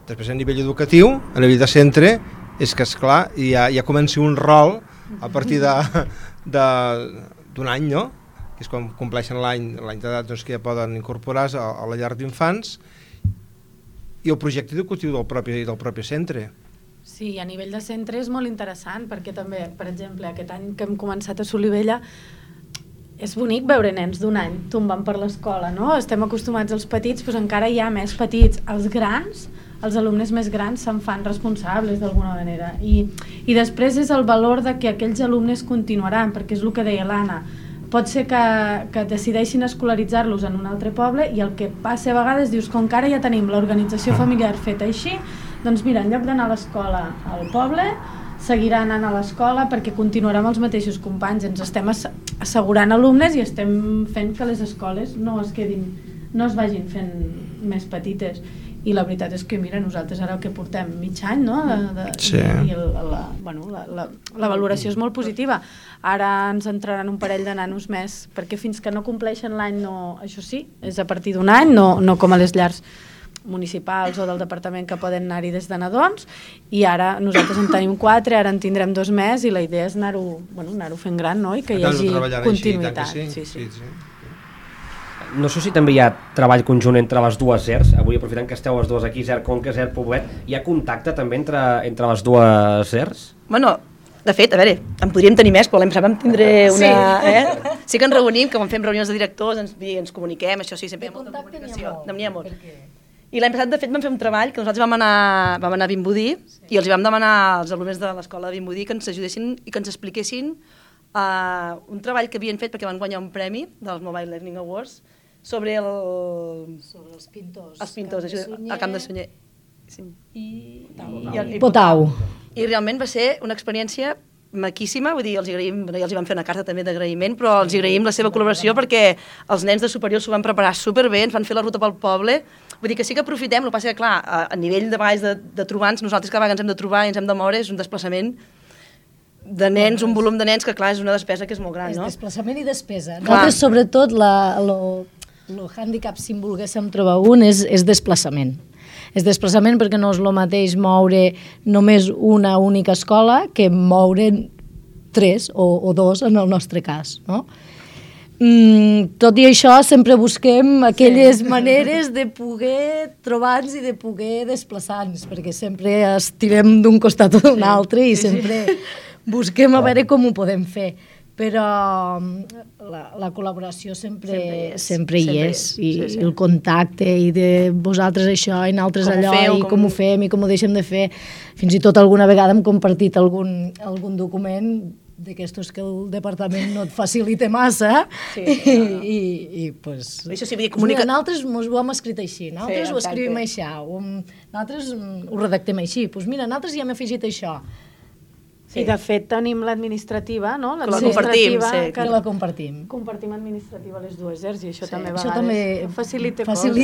Després, a nivell educatiu, a nivell de centre, és que, esclar, ja comença un rol a partir d'un any, no? Que és quan compleixen l'any d'edat, doncs, que ja poden incorporar-se a la llar d'infants, i el projecte educatiu del propi centre. Sí, a nivell de centre és molt interessant, perquè també, per exemple, aquest any que hem començat a Solivella, és bonic veure nens d'un any tombant per l'escola, no? Estem acostumats als petits, però encara hi ha més petits. Els grans, els alumnes més grans se'n fan responsables d'alguna manera. I després és el valor de que aquells alumnes continuaran, perquè és el que deia l'Anna. Pot ser que decideixin escolaritzar-los en un altre poble i el que passa a vegades dius, com que ara ja tenim l'organització familiar feta així, doncs mira, en lloc d'anar a l'escola al poble, seguirà anant a l'escola perquè continuarà amb els mateixos companys. Ens estem assegurant alumnes i estem fent que les escoles no es vagin fent més petites. I la veritat és que, mira, nosaltres ara que portem mig any, no? Sí. I la valoració és molt positiva. Ara ens entraran un parell de nanos més, perquè fins que no compleixen l'any, això sí, és a partir d'un any, no com a les llars municipals o del departament que poden anar-hi des de nadons, i ara nosaltres en tenim 4, ara en tindrem 2 més, i la idea és anar-ho fent gran, no? I que hi hagi continuïtat. Sí. No sé si també hi ha treball conjunt entre les dues ZERs, avui aprofitant que esteu les dues aquí, ZER Conca, ZER Poblet, hi ha contacte també entre les dues ZERs? Bueno, de fet, a veure, en podríem tenir més, però l'any passat vam tindre una... Sí que ens reunim, que quan fem reunions de directors ens comuniquem, això sí, sempre hi ha molta comunicació. N'hi ha molt. I l'any passat, de fet, vam fer un treball que nosaltres vam anar a Vimbodí i els vam demanar als alumnes de l'escola de Vimbodí que ens ajudessin i que ens expliquessin un treball que havien fet perquè van guanyar un premi dels Mobile Learning Awards sobre els pintors al Camp de Sunyer i Potau. I realment va ser una experiència maquíssima, vull dir, els hi vam fer una carta també d'agraïment, però els agraïm la seva col·laboració perquè els nens de superior s'ho van preparar superbé, ens van fer la ruta pel poble, vull dir que sí que aprofitem, el que passa que clar, a nivell de trobar-nos, nosaltres cada vegada ens hem de trobar i ens hem de moure, és un desplaçament de nens, un volum de nens que, clar, és una despesa que és molt gran, És no? desplaçament i despesa. Clar. Nosaltres, sobretot, el hàndicap, si en volguéssim trobar un, és desplaçament. És desplaçament perquè no és el mateix moure només una única escola que moure 3 o 2 en el nostre cas, no? Tot i això, sempre busquem aquelles maneres de poder trobar-nos i de poder desplaçar-nos, perquè sempre estirem d'un costat o d'un altre i sempre busquem a veure com ho podem fer. Però la col·laboració sempre hi és, i el contacte, i de vosaltres això, i nosaltres allò, i com ho fem, i com ho deixem de fer. Fins i tot alguna vegada hem compartit algun document d'aquestos que el departament no et facilita massa, i pues... Això sí, vull dir, comunica... Nosaltres ho hem escrit així, nosaltres ho escrivim així, nosaltres ho redactem així, doncs mira, nosaltres hi hem afegit això. I de fet tenim l'administrativa, no? Que la compartim, que la compartim. Compartim administrativa a les dues ERS i això també això a vegades facilita coses.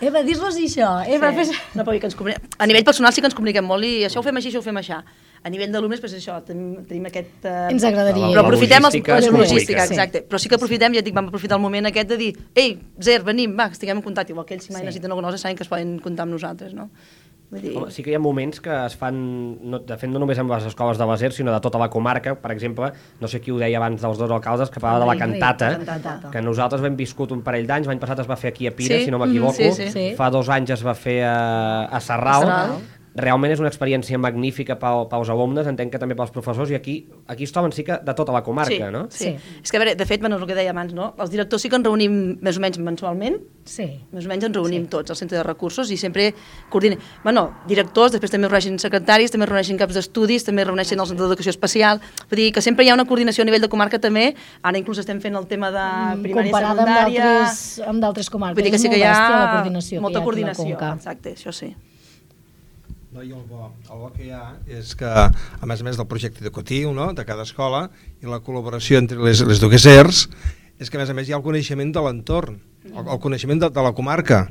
Eva, dis-los això. Eva, fes... No, però a nivell personal sí que ens comuniquem molt i això ho fem així, això ho fem així. A nivell d'alumnes, doncs això, tenim aquest... Ens agradaria. Però aprofitem la logística, sí. exacte. Però sí que aprofitem, ja et dic, vam aprofitar el moment aquest de dir ei, Zer, venim, va, estiguem en contacte. Igual que ells si mai necessiten alguna cosa saben que es poden comptar amb nosaltres, no? Home, sí que hi ha moments que es fan, de fet no només amb les escoles de l'Aser, sinó de tota la comarca. Per exemple, no sé qui ho deia abans dels 2 alcaldes, que parlava de la cantata, que nosaltres vam viscut un parell d'anys, l'any passat es va fer aquí a Pira, si no m'equivoco, fa 2 anys es va fer a Sarral. Realment és una experiència magnífica pels alumnes, entenc que també pels professors, i aquí es troben sí que de tota la comarca, no? Sí. És que, a veure, de fet, és el que deia abans, no? Els directors sí que ens reunim més o menys mensualment, més o menys ens reunim tots al centre de recursos i sempre coordinem. Bueno, directors, després també reuneixen secretaris, també reuneixen caps d'estudis, també reuneixen els centres d'educació especial, vull dir que sempre hi ha una coordinació a nivell de comarca també, ara inclús estem fent el tema de primària i secundària. Comparada amb d'altres comarques, vull dir que sí que hi ha molta coordinació, exacte, això sí. No, i el bo que hi ha és que, a més del projecte educatiu, no?, de cada escola, i la col·laboració entre les dues ERS, és que a més hi ha el coneixement de l'entorn, el coneixement de la comarca,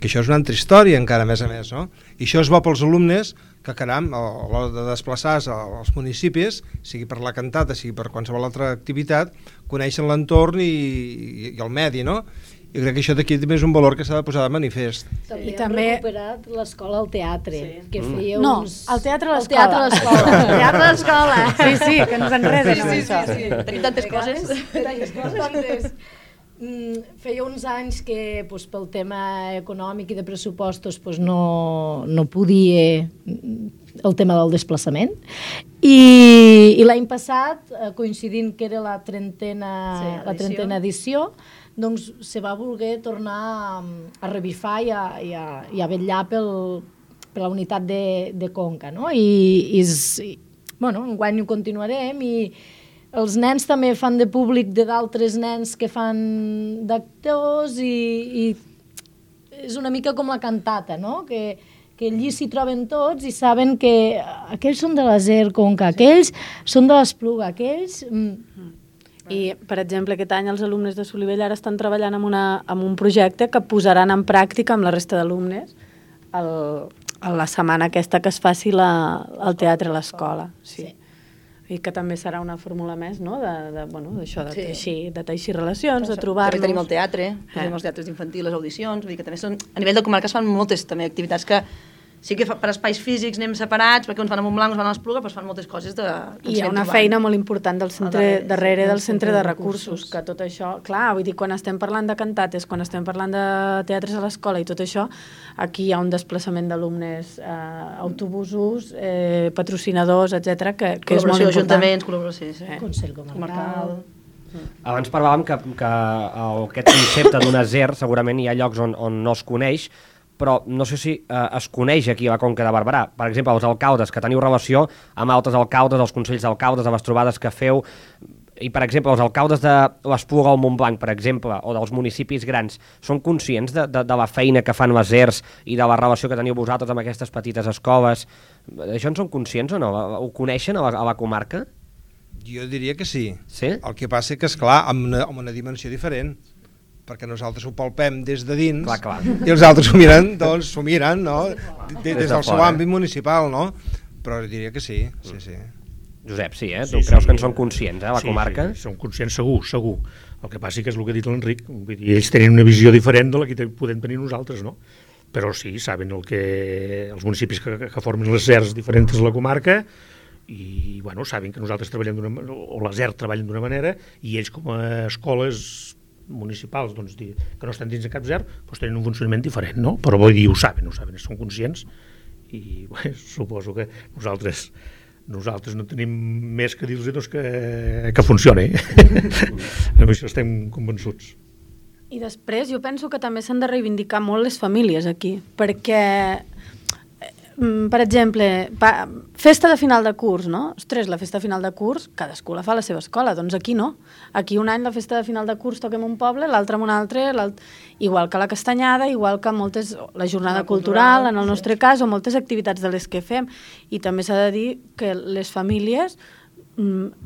que això és una altra història encara, a més, no? I això és bo pels alumnes que, caram, a l'hora de desplaçar-se als municipis, sigui per la cantata, sigui per qualsevol altra activitat, coneixen l'entorn i el medi, no? I crec que això d'aquí també és un valor que s'ha de posar de manifest. I també hem recuperat l'escola al teatre, que feia no, uns... el teatre a l'escola. El teatre a l'escola. Sí, que ens enreden amb això. Tenim tantes coses. Feia uns anys que pel tema econòmic i de pressupostos no podia el tema del desplaçament, i l'any passat, coincidint que era la trentena edició, doncs se va voler tornar a revifar i a vetllar per la unitat de Conca, no? I enguany ho continuarem, i els nens també fan de públic d'altres nens que fan d'actors, i és una mica com la cantata, no? Que allí s'hi troben tots i saben que aquells són de l'Aser Conca, aquells són de l'Espluga, aquells... I, per exemple, aquest any els alumnes de Solivella ara estan treballant en un projecte que posaran en pràctica amb la resta d'alumnes a la setmana aquesta que es faci el teatre a l'escola. Sí. I que també serà una fórmula més, no?, d'això, de teixir relacions, de trobar-nos. També tenim el teatre, tenim els teatres d'infantil, les audicions, vull dir que també són... A nivell de comarca es fan moltes també activitats que sí que per espais físics anem separats, perquè uns van a Montblanc, uns van a l'Espluga, però es fan moltes coses de... I hi ha una feina molt important del centre darrere del centre de recursos, que tot això, clar, vull dir, quan estem parlant de cantates, quan estem parlant de teatres a l'escola i tot això, aquí hi ha un desplaçament d'alumnes, autobusos, patrocinadors, etc que és molt important. Ajuntaments, col·laboració, Consell Comarcal... Abans parlàvem que aquest concepte d'una ZER segurament hi ha llocs on no es coneix, però no sé si es coneix aquí a la Conca de Barberà. Per exemple, els alcaldes, que teniu relació amb altres alcaldes, els consells d'alcaldes, de les trobades que feu, i per exemple, els alcaldes de l'Espluga o el Montblanc, per exemple, o dels municipis grans, són conscients de la feina que fan les ERS i de la relació que teniu vosaltres amb aquestes petites escoles? Això en són conscients o no? Ho coneixen a la comarca? Jo diria que sí. Sí? El que passa és que, esclar, amb una dimensió diferent, perquè nosaltres ho palpem des de dins, clar. I els altres s'ho miren, no? Des del seu àmbit municipal, no? Però diria que sí. Josep, sí, tu creus que en són conscients, la comarca? Sí, són conscients segur. El que passa que és el que ha dit l'Enric, vull dir, ells tenen una visió diferent de la que podem tenir nosaltres, no? Però sí, saben els municipis que formen les ZERs diferents de la comarca i, bueno, saben que nosaltres treballem o la ZER treballen d'una manera i ells com a escoles municipals, doncs, que no estan dins de cap ZER, doncs tenen un funcionament diferent, no? Però vull dir, ho saben, són conscients i suposo que nosaltres no tenim més que dir-los doncs, que funcioni. Amb això estem convençuts. I després jo penso que també s'han de reivindicar molt les famílies aquí, perquè, per exemple, festa de final de curs, no? Ostres, la festa de final de curs, cadascú la fa a la seva escola, doncs aquí no. Aquí un any la festa de final de curs toquem un poble, l'altre en un altre, igual que la castanyada, igual que la jornada cultural, en el nostre cas, o moltes activitats de les que fem. I també s'ha de dir que les famílies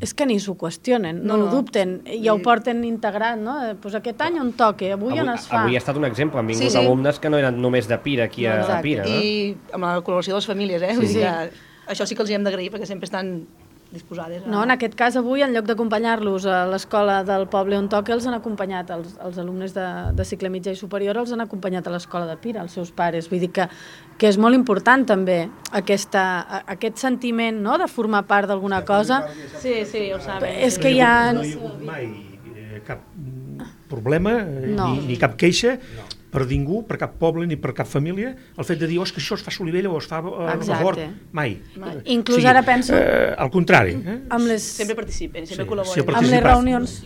és que ni s'ho qüestionen, no ho dubten, ja ho porten integrat, no? Pues aquest any on toca, avui on es fa. Avui ha estat un exemple, han vingut alumnes que no eren només de Pira aquí a Pira. I amb la col·laboració de les famílies, vull dir que això sí que els hi hem d'agrair perquè sempre estan disposades. No, en aquest cas avui, en lloc d'acompanyar-los a l'escola del poble on toca, els han acompanyat, els alumnes de cicle mitjà i superior els han acompanyat a l'escola de Pira, els seus pares. Vull dir que és molt important també aquest sentiment, no?, de formar part d'alguna cosa. Sí, ho saben. És que hi ha... No hi ha hagut mai cap problema ni cap queixa per ningú, per cap poble ni per cap família, el fet de dir, que això es fa a Solivella o es fa a Rocafort, mai. Inclús ara penso... Al contrari. Sempre participen, sempre col·laboren. Amb les reunions...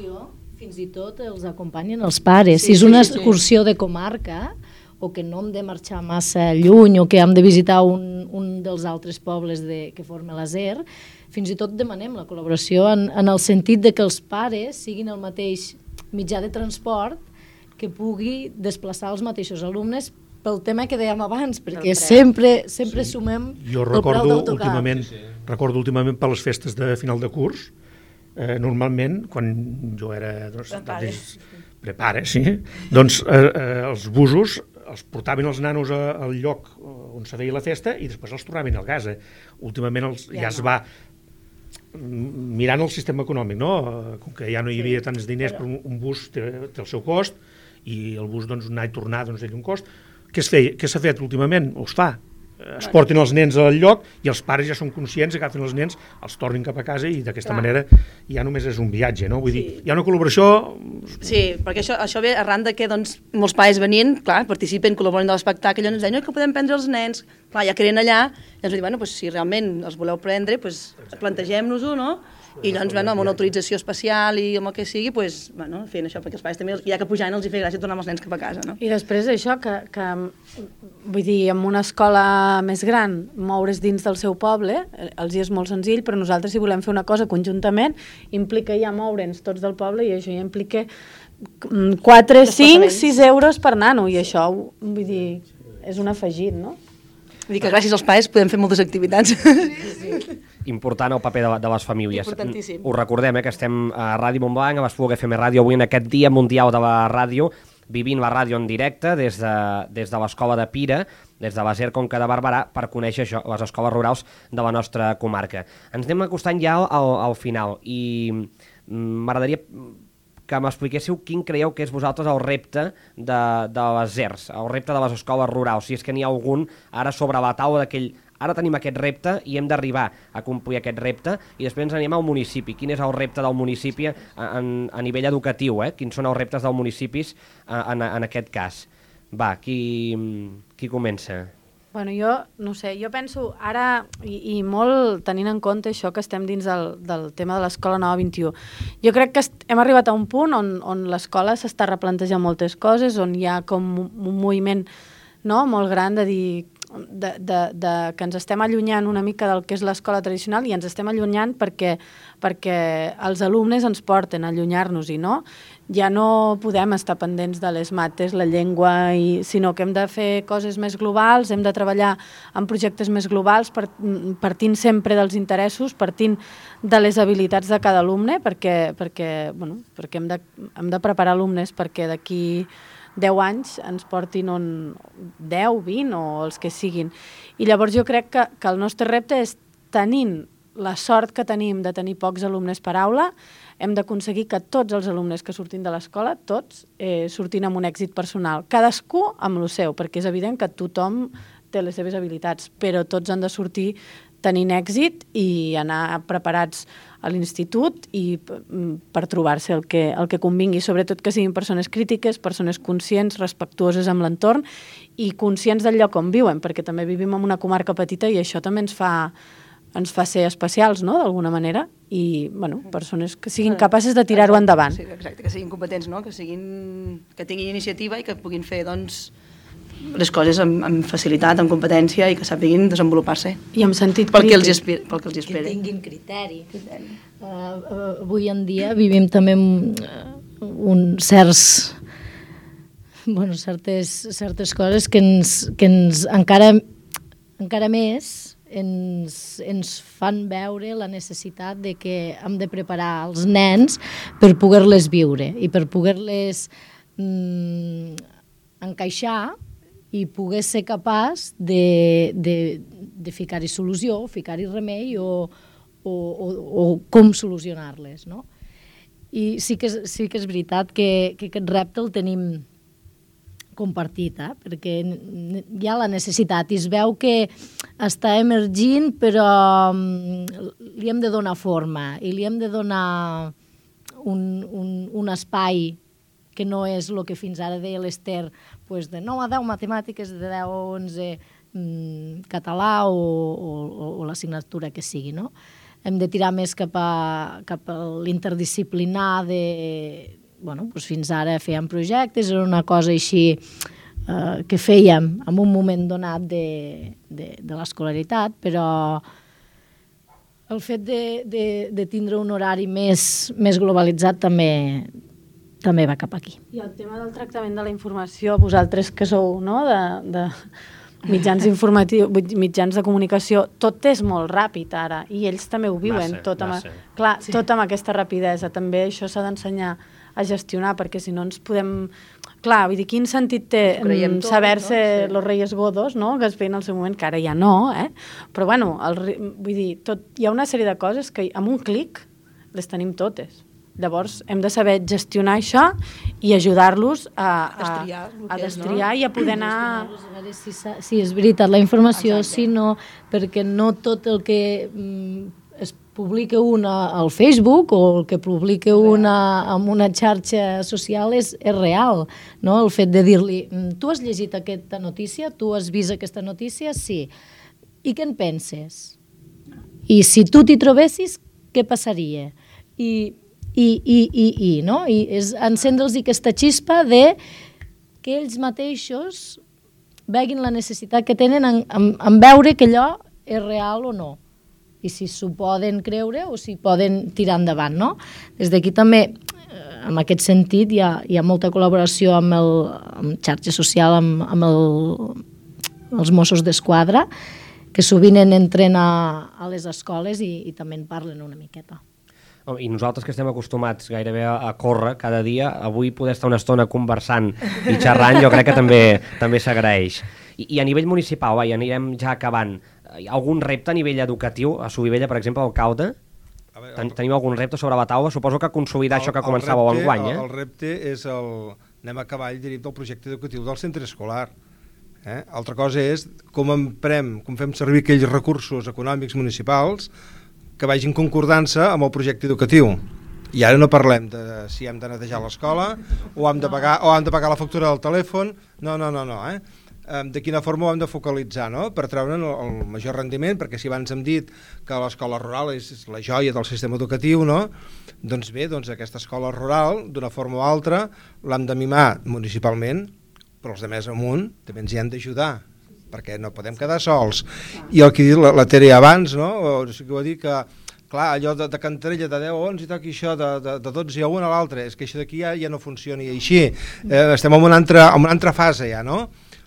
Fins i tot els acompanyen els pares. Si és una excursió de comarca, o que no hem de marxar massa lluny, o que hem de visitar un dels altres pobles que forma la ZER, fins i tot demanem la col·laboració en el sentit de que els pares siguin el mateix mitjà de transport que pugui desplaçar els mateixos alumnes pel tema que dèiem abans, perquè sempre sumem el preu d'autocar. Recordo últimament per les festes de final de curs, normalment, quan jo era prepare, doncs els busos els portaven els nanos al lloc on se feia la festa i després els tornaven a casa. Últimament ja es va mirant el sistema econòmic, no? Com que ja no hi havia tants diners, però un bus té el seu cost i el bus doncs, anar i tornar doncs, té un cost. Què s'ha fet últimament? O es fa? Es porten els nens al lloc i els pares ja són conscients, agafen els nens, els tornen cap a casa i d'aquesta manera ja només és un viatge, no? Vull dir, hi ha una col·laboració... Sí, perquè això ve arran de que doncs, molts pares venien, clar, participen, col·laboren de l'espectacle, i ens deien que podem prendre els nens, clar, ja que eren allà, i ens diuen, bueno, si realment els voleu prendre, plantegem-nos-ho, no? I llavors, amb una autorització especial i amb el que sigui, fent això, perquè els pares també, ja que pujaven, els hi feia gràcia tornar amb els nens cap a casa, no? I després això, que vull dir, en una escola més gran, moure's dins del seu poble, els hi és molt senzill, però nosaltres, si volem fer una cosa conjuntament, implica ja moure'ns tots del poble i això ja implica 4, 5, 6 euros per nano, i això, vull dir, és un afegit, no? Vull dir que gràcies als pares podem fer moltes activitats. Important el paper de les famílies. Importantíssim. Us recordem que estem a Ràdio Montblanc, a l'Espluga FM Ràdio, avui en aquest Dia Mundial de la Ràdio, vivint la ràdio en directe des de l'escola de Pira, des de la ZER Conca de Barberà, per conèixer això, les escoles rurals de la nostra comarca. Ens anem acostant ja al final i m'agradaria que m'expliquéssiu quin creieu que és vosaltres el repte de les ZERs, el repte de les escoles rurals, si és que n'hi ha algun ara sobre la taula d'aquell... Ara tenim aquest repte i hem d'arribar a complir aquest repte i després ens anem al municipi. Quin és el repte del municipi a nivell educatiu? Quins són els reptes dels municipis en aquest cas? Va, qui comença? Bueno, jo no sé, jo penso ara, i molt tenint en compte això que estem dins del tema de l'Escola Nova 21, jo crec que hem arribat a un punt on l'escola s'està replantejant moltes coses, on hi ha com un moviment molt gran de dir que ens estem allunyant una mica del que és l'escola tradicional i ens estem allunyant perquè els alumnes ens porten a allunyar-nos-hi, no? Ja no podem estar pendents de les mates, la llengua, sinó que hem de fer coses més globals, hem de treballar en projectes més globals, partint sempre dels interessos, partint de les habilitats de cada alumne, perquè hem de preparar alumnes perquè d'aquí 10 anys ens portin 10, 20 o els que siguin. I llavors jo crec que el nostre repte és tenint la sort que tenim de tenir pocs alumnes per aula, hem d'aconseguir que tots els alumnes que surtin de l'escola, tots, surtin amb un èxit personal. Cadascú amb el seu, perquè és evident que tothom té les seves habilitats, però tots han de sortir tenint èxit i anar preparats a l'institut i per trobar-se el que convingui, sobretot que siguin persones crítiques, persones conscients, respectuoses amb l'entorn i conscients del lloc on viuen, perquè també vivim en una comarca petita i això també ens fa ser especials, no?, d'alguna manera, i, bueno, persones que siguin capaces de tirar-ho endavant. Sí, exacte, que siguin competents, no?, que tinguin iniciativa i que puguin fer, doncs, les coses amb facilitat, amb competència i que sàpiguin desenvolupar-se. I amb sentit crític. Pel que els espera. Que tinguin criteri. Avui en dia vivim també certes coses que ens encara més ens fan veure la necessitat de que hem de preparar els nens per poder-les viure i per poder-les encaixar i poder ser capaç de ficar-hi solució, ficar-hi remei o com solucionar-les, no? I sí que és veritat que aquest repte el tenim compartit, perquè hi ha la necessitat i es veu que està emergint, però li hem de donar forma i li hem de donar un espai que no és el que fins ara deia l'Ester, de 9 a 10 matemàtiques, de 10 a 11 català o l'assignatura que sigui, no? Hem de tirar més cap a l'interdisciplinar fins ara fèiem projectes, era una cosa així que fèiem en un moment donat de l'escolaritat, però el fet de tindre un horari més globalitzat també va cap aquí. I el tema del tractament de la informació, vosaltres que sou de mitjans informatius, mitjans de comunicació, tot és molt ràpid ara, i ells també ho viuen, tot amb aquesta rapidesa. També això s'ha d'ensenyar a gestionar, perquè si no ens podem... Clar, vull dir, quin sentit té saber-se los reyes godos, que es feien al seu moment, que ara ja no, però bueno, vull dir, hi ha una sèrie de coses que amb un clic les tenim totes. Llavors, hem de saber gestionar això i ajudar-los a destriar i a poder anar... A veure si és veritat la informació, si no, perquè no tot el que es publica al Facebook o el que publica en una xarxa social és real, no? El fet de dir-li, tu has llegit aquesta notícia, tu has vist aquesta notícia? Sí. I què en penses? I si tu t'hi trobessis, què passaria? No? I és encendre'ls aquesta xispa de que ells mateixos veguin la necessitat que tenen en veure que allò és real o no, i si s'ho poden creure o si poden tirar endavant, no? Des d'aquí també, en aquest sentit, hi ha molta col·laboració amb xarxa social, amb els Mossos d'Esquadra, que sovint entren a les escoles i també en parlen una miqueta. I nosaltres que estem acostumats gairebé a córrer cada dia, avui poder estar una estona conversant i xerrant jo crec que també s'agraeix. I a nivell municipal, anirem ja acabant, hi ha algun repte a nivell educatiu? A Solivella, per exemple, alcalde? Teniu algun repte sobre la taula? Suposo que consolidar això que començàveu enguany. El repte és anem a cavall direct del projecte educatiu del centre escolar. Altra cosa és com fem servir aquells recursos econòmics municipals que vagin concordança amb el projecte educatiu. I ara no parlem de si hem de netejar l'escola o hem de pagar la factura del telèfon, no. De quina forma ho hem de focalitzar, no? Per treure'n el major rendiment, perquè si abans hem dit que l'escola rural és la joia del sistema educatiu, no? Doncs bé, aquesta escola rural, d'una forma o altra, l'hem de mimar municipalment, però els de més amunt també ens hi han d'ajudar, perquè no podem quedar sols. I el que ha dit la Tere abans, no? O sigui, ho ha dit que, clar, allò de Cantarella de 10 a 11 i toqui això de 12 a 1 a l'altre, és que això d'aquí ja no funcioni així. Estem en una altra fase ja, no?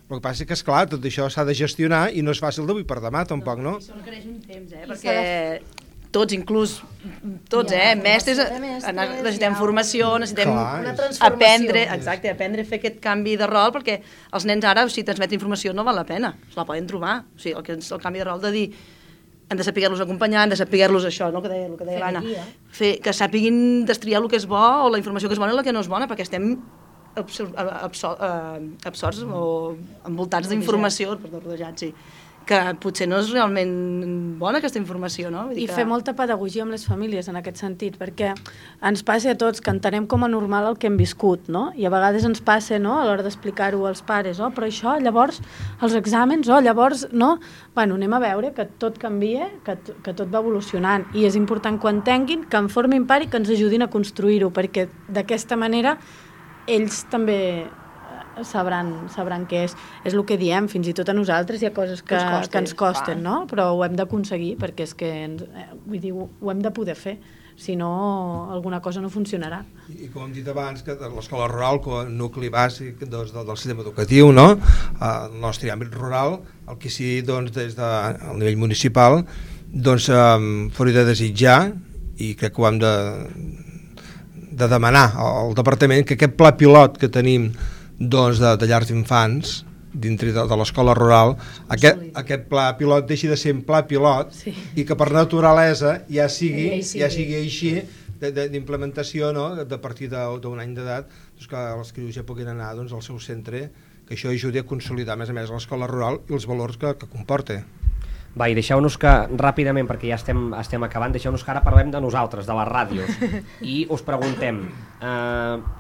El que passa és que, esclar, tot això s'ha de gestionar i no és fàcil d'avui per demà, tampoc, no? Això requereix un temps, perquè tots, inclús tots, mestres, necessitem formació, necessitem aprendre a fer aquest canvi de rol, perquè els nens ara, si transmeten informació no val la pena, se la poden trobar. O sigui, el canvi de rol de dir, han de saber-los acompanyar, han de saber-los això, no? el que deia l'Anna, que sàpiguin destriar el que és bo o la informació que és bona i la que no és bona, perquè estem absorts o envoltats d'informació, rodejats, sí, que potser no és realment bona aquesta informació, no? I fer molta pedagogia amb les famílies en aquest sentit, perquè ens passa a tots que entenem com a normal el que hem viscut, no? I a vegades ens passa, no?, a l'hora d'explicar-ho als pares, però això, llavors, els exàmens, llavors, no? Bueno, anem a veure que tot canvia, que tot va evolucionant, i és important que ho entenguin, que en formin part i que ens ajudin a construir-ho, perquè d'aquesta manera ells també sabran què és. És el que diem, fins i tot a nosaltres hi ha coses que ens costen, no? Però ho hem d'aconseguir, perquè és que vull dir, ho hem de poder fer, si no alguna cosa no funcionarà. I com hem dit abans, que l'escola rural, com a nucli bàsic del sistema educatiu, no? El nostre àmbit rural, el que sí, doncs, des del nivell municipal, doncs, fora de desitjar, i crec que ho hem de demanar al departament, que aquest pla pilot que tenim doncs, de llars d'infants dintre de l'escola rural, aquest pla pilot deixi de ser un pla pilot i que per naturalesa ja sigui així d'implementació, no? A partir d'un any d'edat, doncs, que els crios ja puguin anar al seu centre, que això ajudi a consolidar més a més l'escola rural i els valors que comporta. Va, i deixeu-nos que ràpidament, perquè ja estem acabant, deixeu-nos que ara parlem de nosaltres, de les ràdios, i us preguntem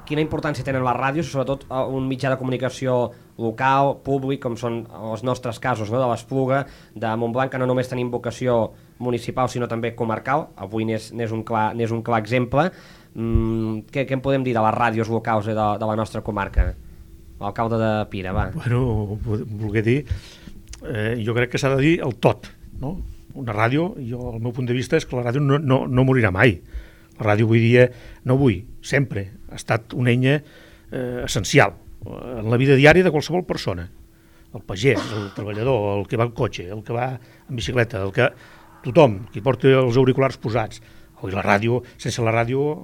quina importància tenen les ràdios, sobretot un mitjà de comunicació local, públic, com són els nostres casos, no? De l'Espluga, de Montblanc, que no només tenim vocació municipal, sinó també comarcal. Avui n'és un clar exemple. Què en podem dir de les ràdios locals de la nostra comarca? L'alcalde de Pira, va. Bueno, voler dir... jo crec que s'ha de dir el tot, no? Una ràdio, el meu punt de vista és que la ràdio no morirà mai. La ràdio sempre ha estat una eina essencial en la vida diària de qualsevol persona. El pagès, el treballador, el que va en cotxe, el que va en bicicleta, tothom, qui porta els auriculars posats. I la ràdio, sense la ràdio,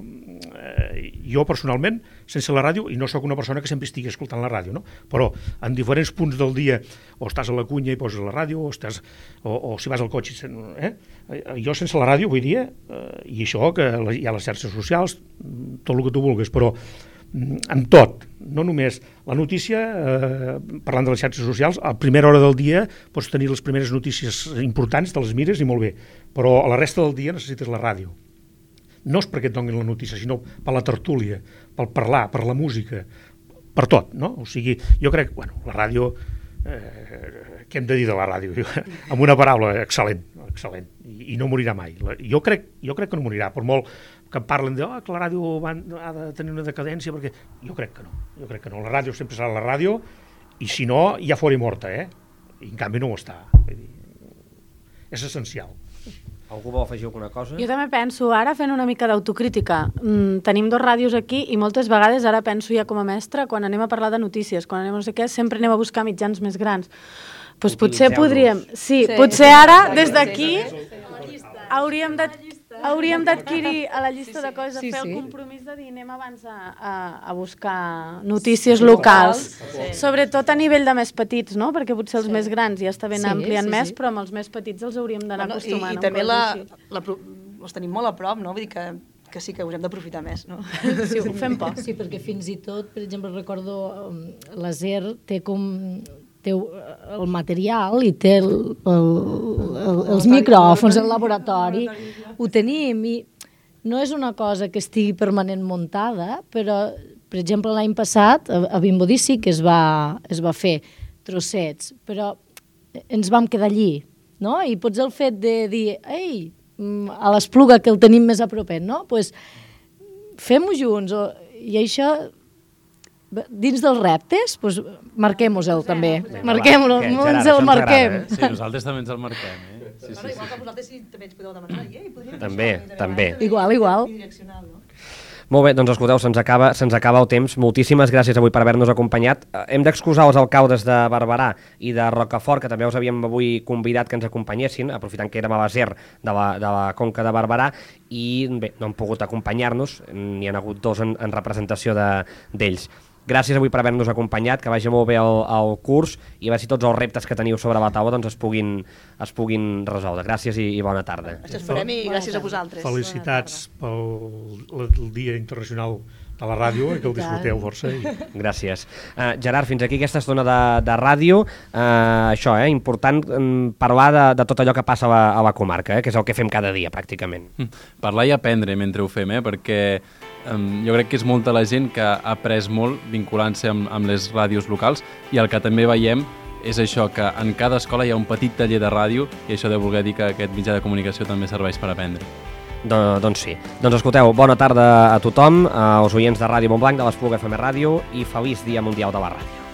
jo personalment, sense la ràdio, i no sóc una persona que sempre estigui escoltant la ràdio, no? Però en diferents punts del dia, o estàs a la cunya i poses la ràdio, o si vas al cotxe, jo sense la ràdio, vull dir, i això, que hi ha les xarxes socials, tot el que tu vulguis, però en tot, no només la notícia, parlant de les xarxes socials, a primera hora del dia pots tenir les primeres notícies importants, te les mires i molt bé, però a la resta del dia necessites la ràdio. No és perquè et donin la notícia, sinó per la tertúlia, pel parlar, per la música, per tot, no? O sigui, jo crec, la ràdio, què hem de dir de la ràdio? Amb una paraula, excel·lent, i no morirà mai. Jo crec que no morirà, per molt que em parlen que la ràdio ha de tenir una decadència, perquè jo crec que no, la ràdio sempre serà la ràdio, i si no, ja fora morta, i en canvi no ho està. És essencial. Algú vol afegir alguna cosa? Jo també penso, ara fent una mica d'autocrítica, tenim 2 ràdios aquí i moltes vegades ara penso ja com a mestra, quan anem a parlar de notícies, quan anem a no sé què, sempre anem a buscar mitjans més grans. Doncs potser podríem... Sí, potser ara, des d'aquí, hauríem d'adquirir a la llista de coses, fer el compromís de dir anem abans a buscar notícies locals, sobretot a nivell de més petits, no? Perquè potser els més grans ja està ben ampliant més, però amb els més petits els hauríem d'anar acostumant. I també els tenim molt a prop, no? Vull dir que sí que us hem d'aprofitar més, no? Sí, ho fem poc. Sí, perquè fins i tot, per exemple, recordo la SER té el material i té els micròfons, el laboratori, ho tenim, i no és una cosa que estigui permanent muntada, però, per exemple, l'any passat a Vimbodí sí que es va fer trossets, però ens vam quedar allí, no? I potser el fet de dir, ei, a l'Espluga, que el tenim més a propet, no? Doncs fem-ho junts, i això... Dins dels reptes, doncs marquem-ho també. Marquem-ho, ens el marquem. Sí, nosaltres també ens el marquem. Igual que vosaltres també ens podeu demanar. També. Igual. Molt bé, doncs escolteu, se'ns acaba el temps. Moltíssimes gràcies avui per haver-nos acompanyat. Hem d'excusar els alcaldes de Barberà i de Rocafort, que també us havíem avui convidat que ens acompanyessin, aprofitant que érem a la SER de la Conca de Barberà, i bé, no han pogut acompanyar-nos, n'hi ha hagut 2 en representació d'ells. gràcies avui per haver-nos acompanyat, que vagi molt bé el curs i a veure si tots els reptes que teniu sobre la taula doncs es puguin resoldre. Gràcies i bona tarda. Això esperem i gràcies a vosaltres. Felicitats pel Dia Internacional de la ràdio, que el disfruteu força. Gràcies. Gerard, fins aquí aquesta estona de ràdio. Això, important parlar de tot allò que passa a la comarca, que és el que fem cada dia, pràcticament. Parlar i aprendre mentre ho fem, perquè jo crec que és molta la gent que ha après molt vinculant-se amb les ràdios locals, i el que també veiem és això, que en cada escola hi ha un petit taller de ràdio, i això deu voler dir que aquest mitjà de comunicació també serveix per aprendre. Doncs sí. Doncs escolteu, bona tarda a tothom, als oients de Ràdio Montblanc, de l'Espluga FM Ràdio, i feliç Dia Mundial de la Ràdio.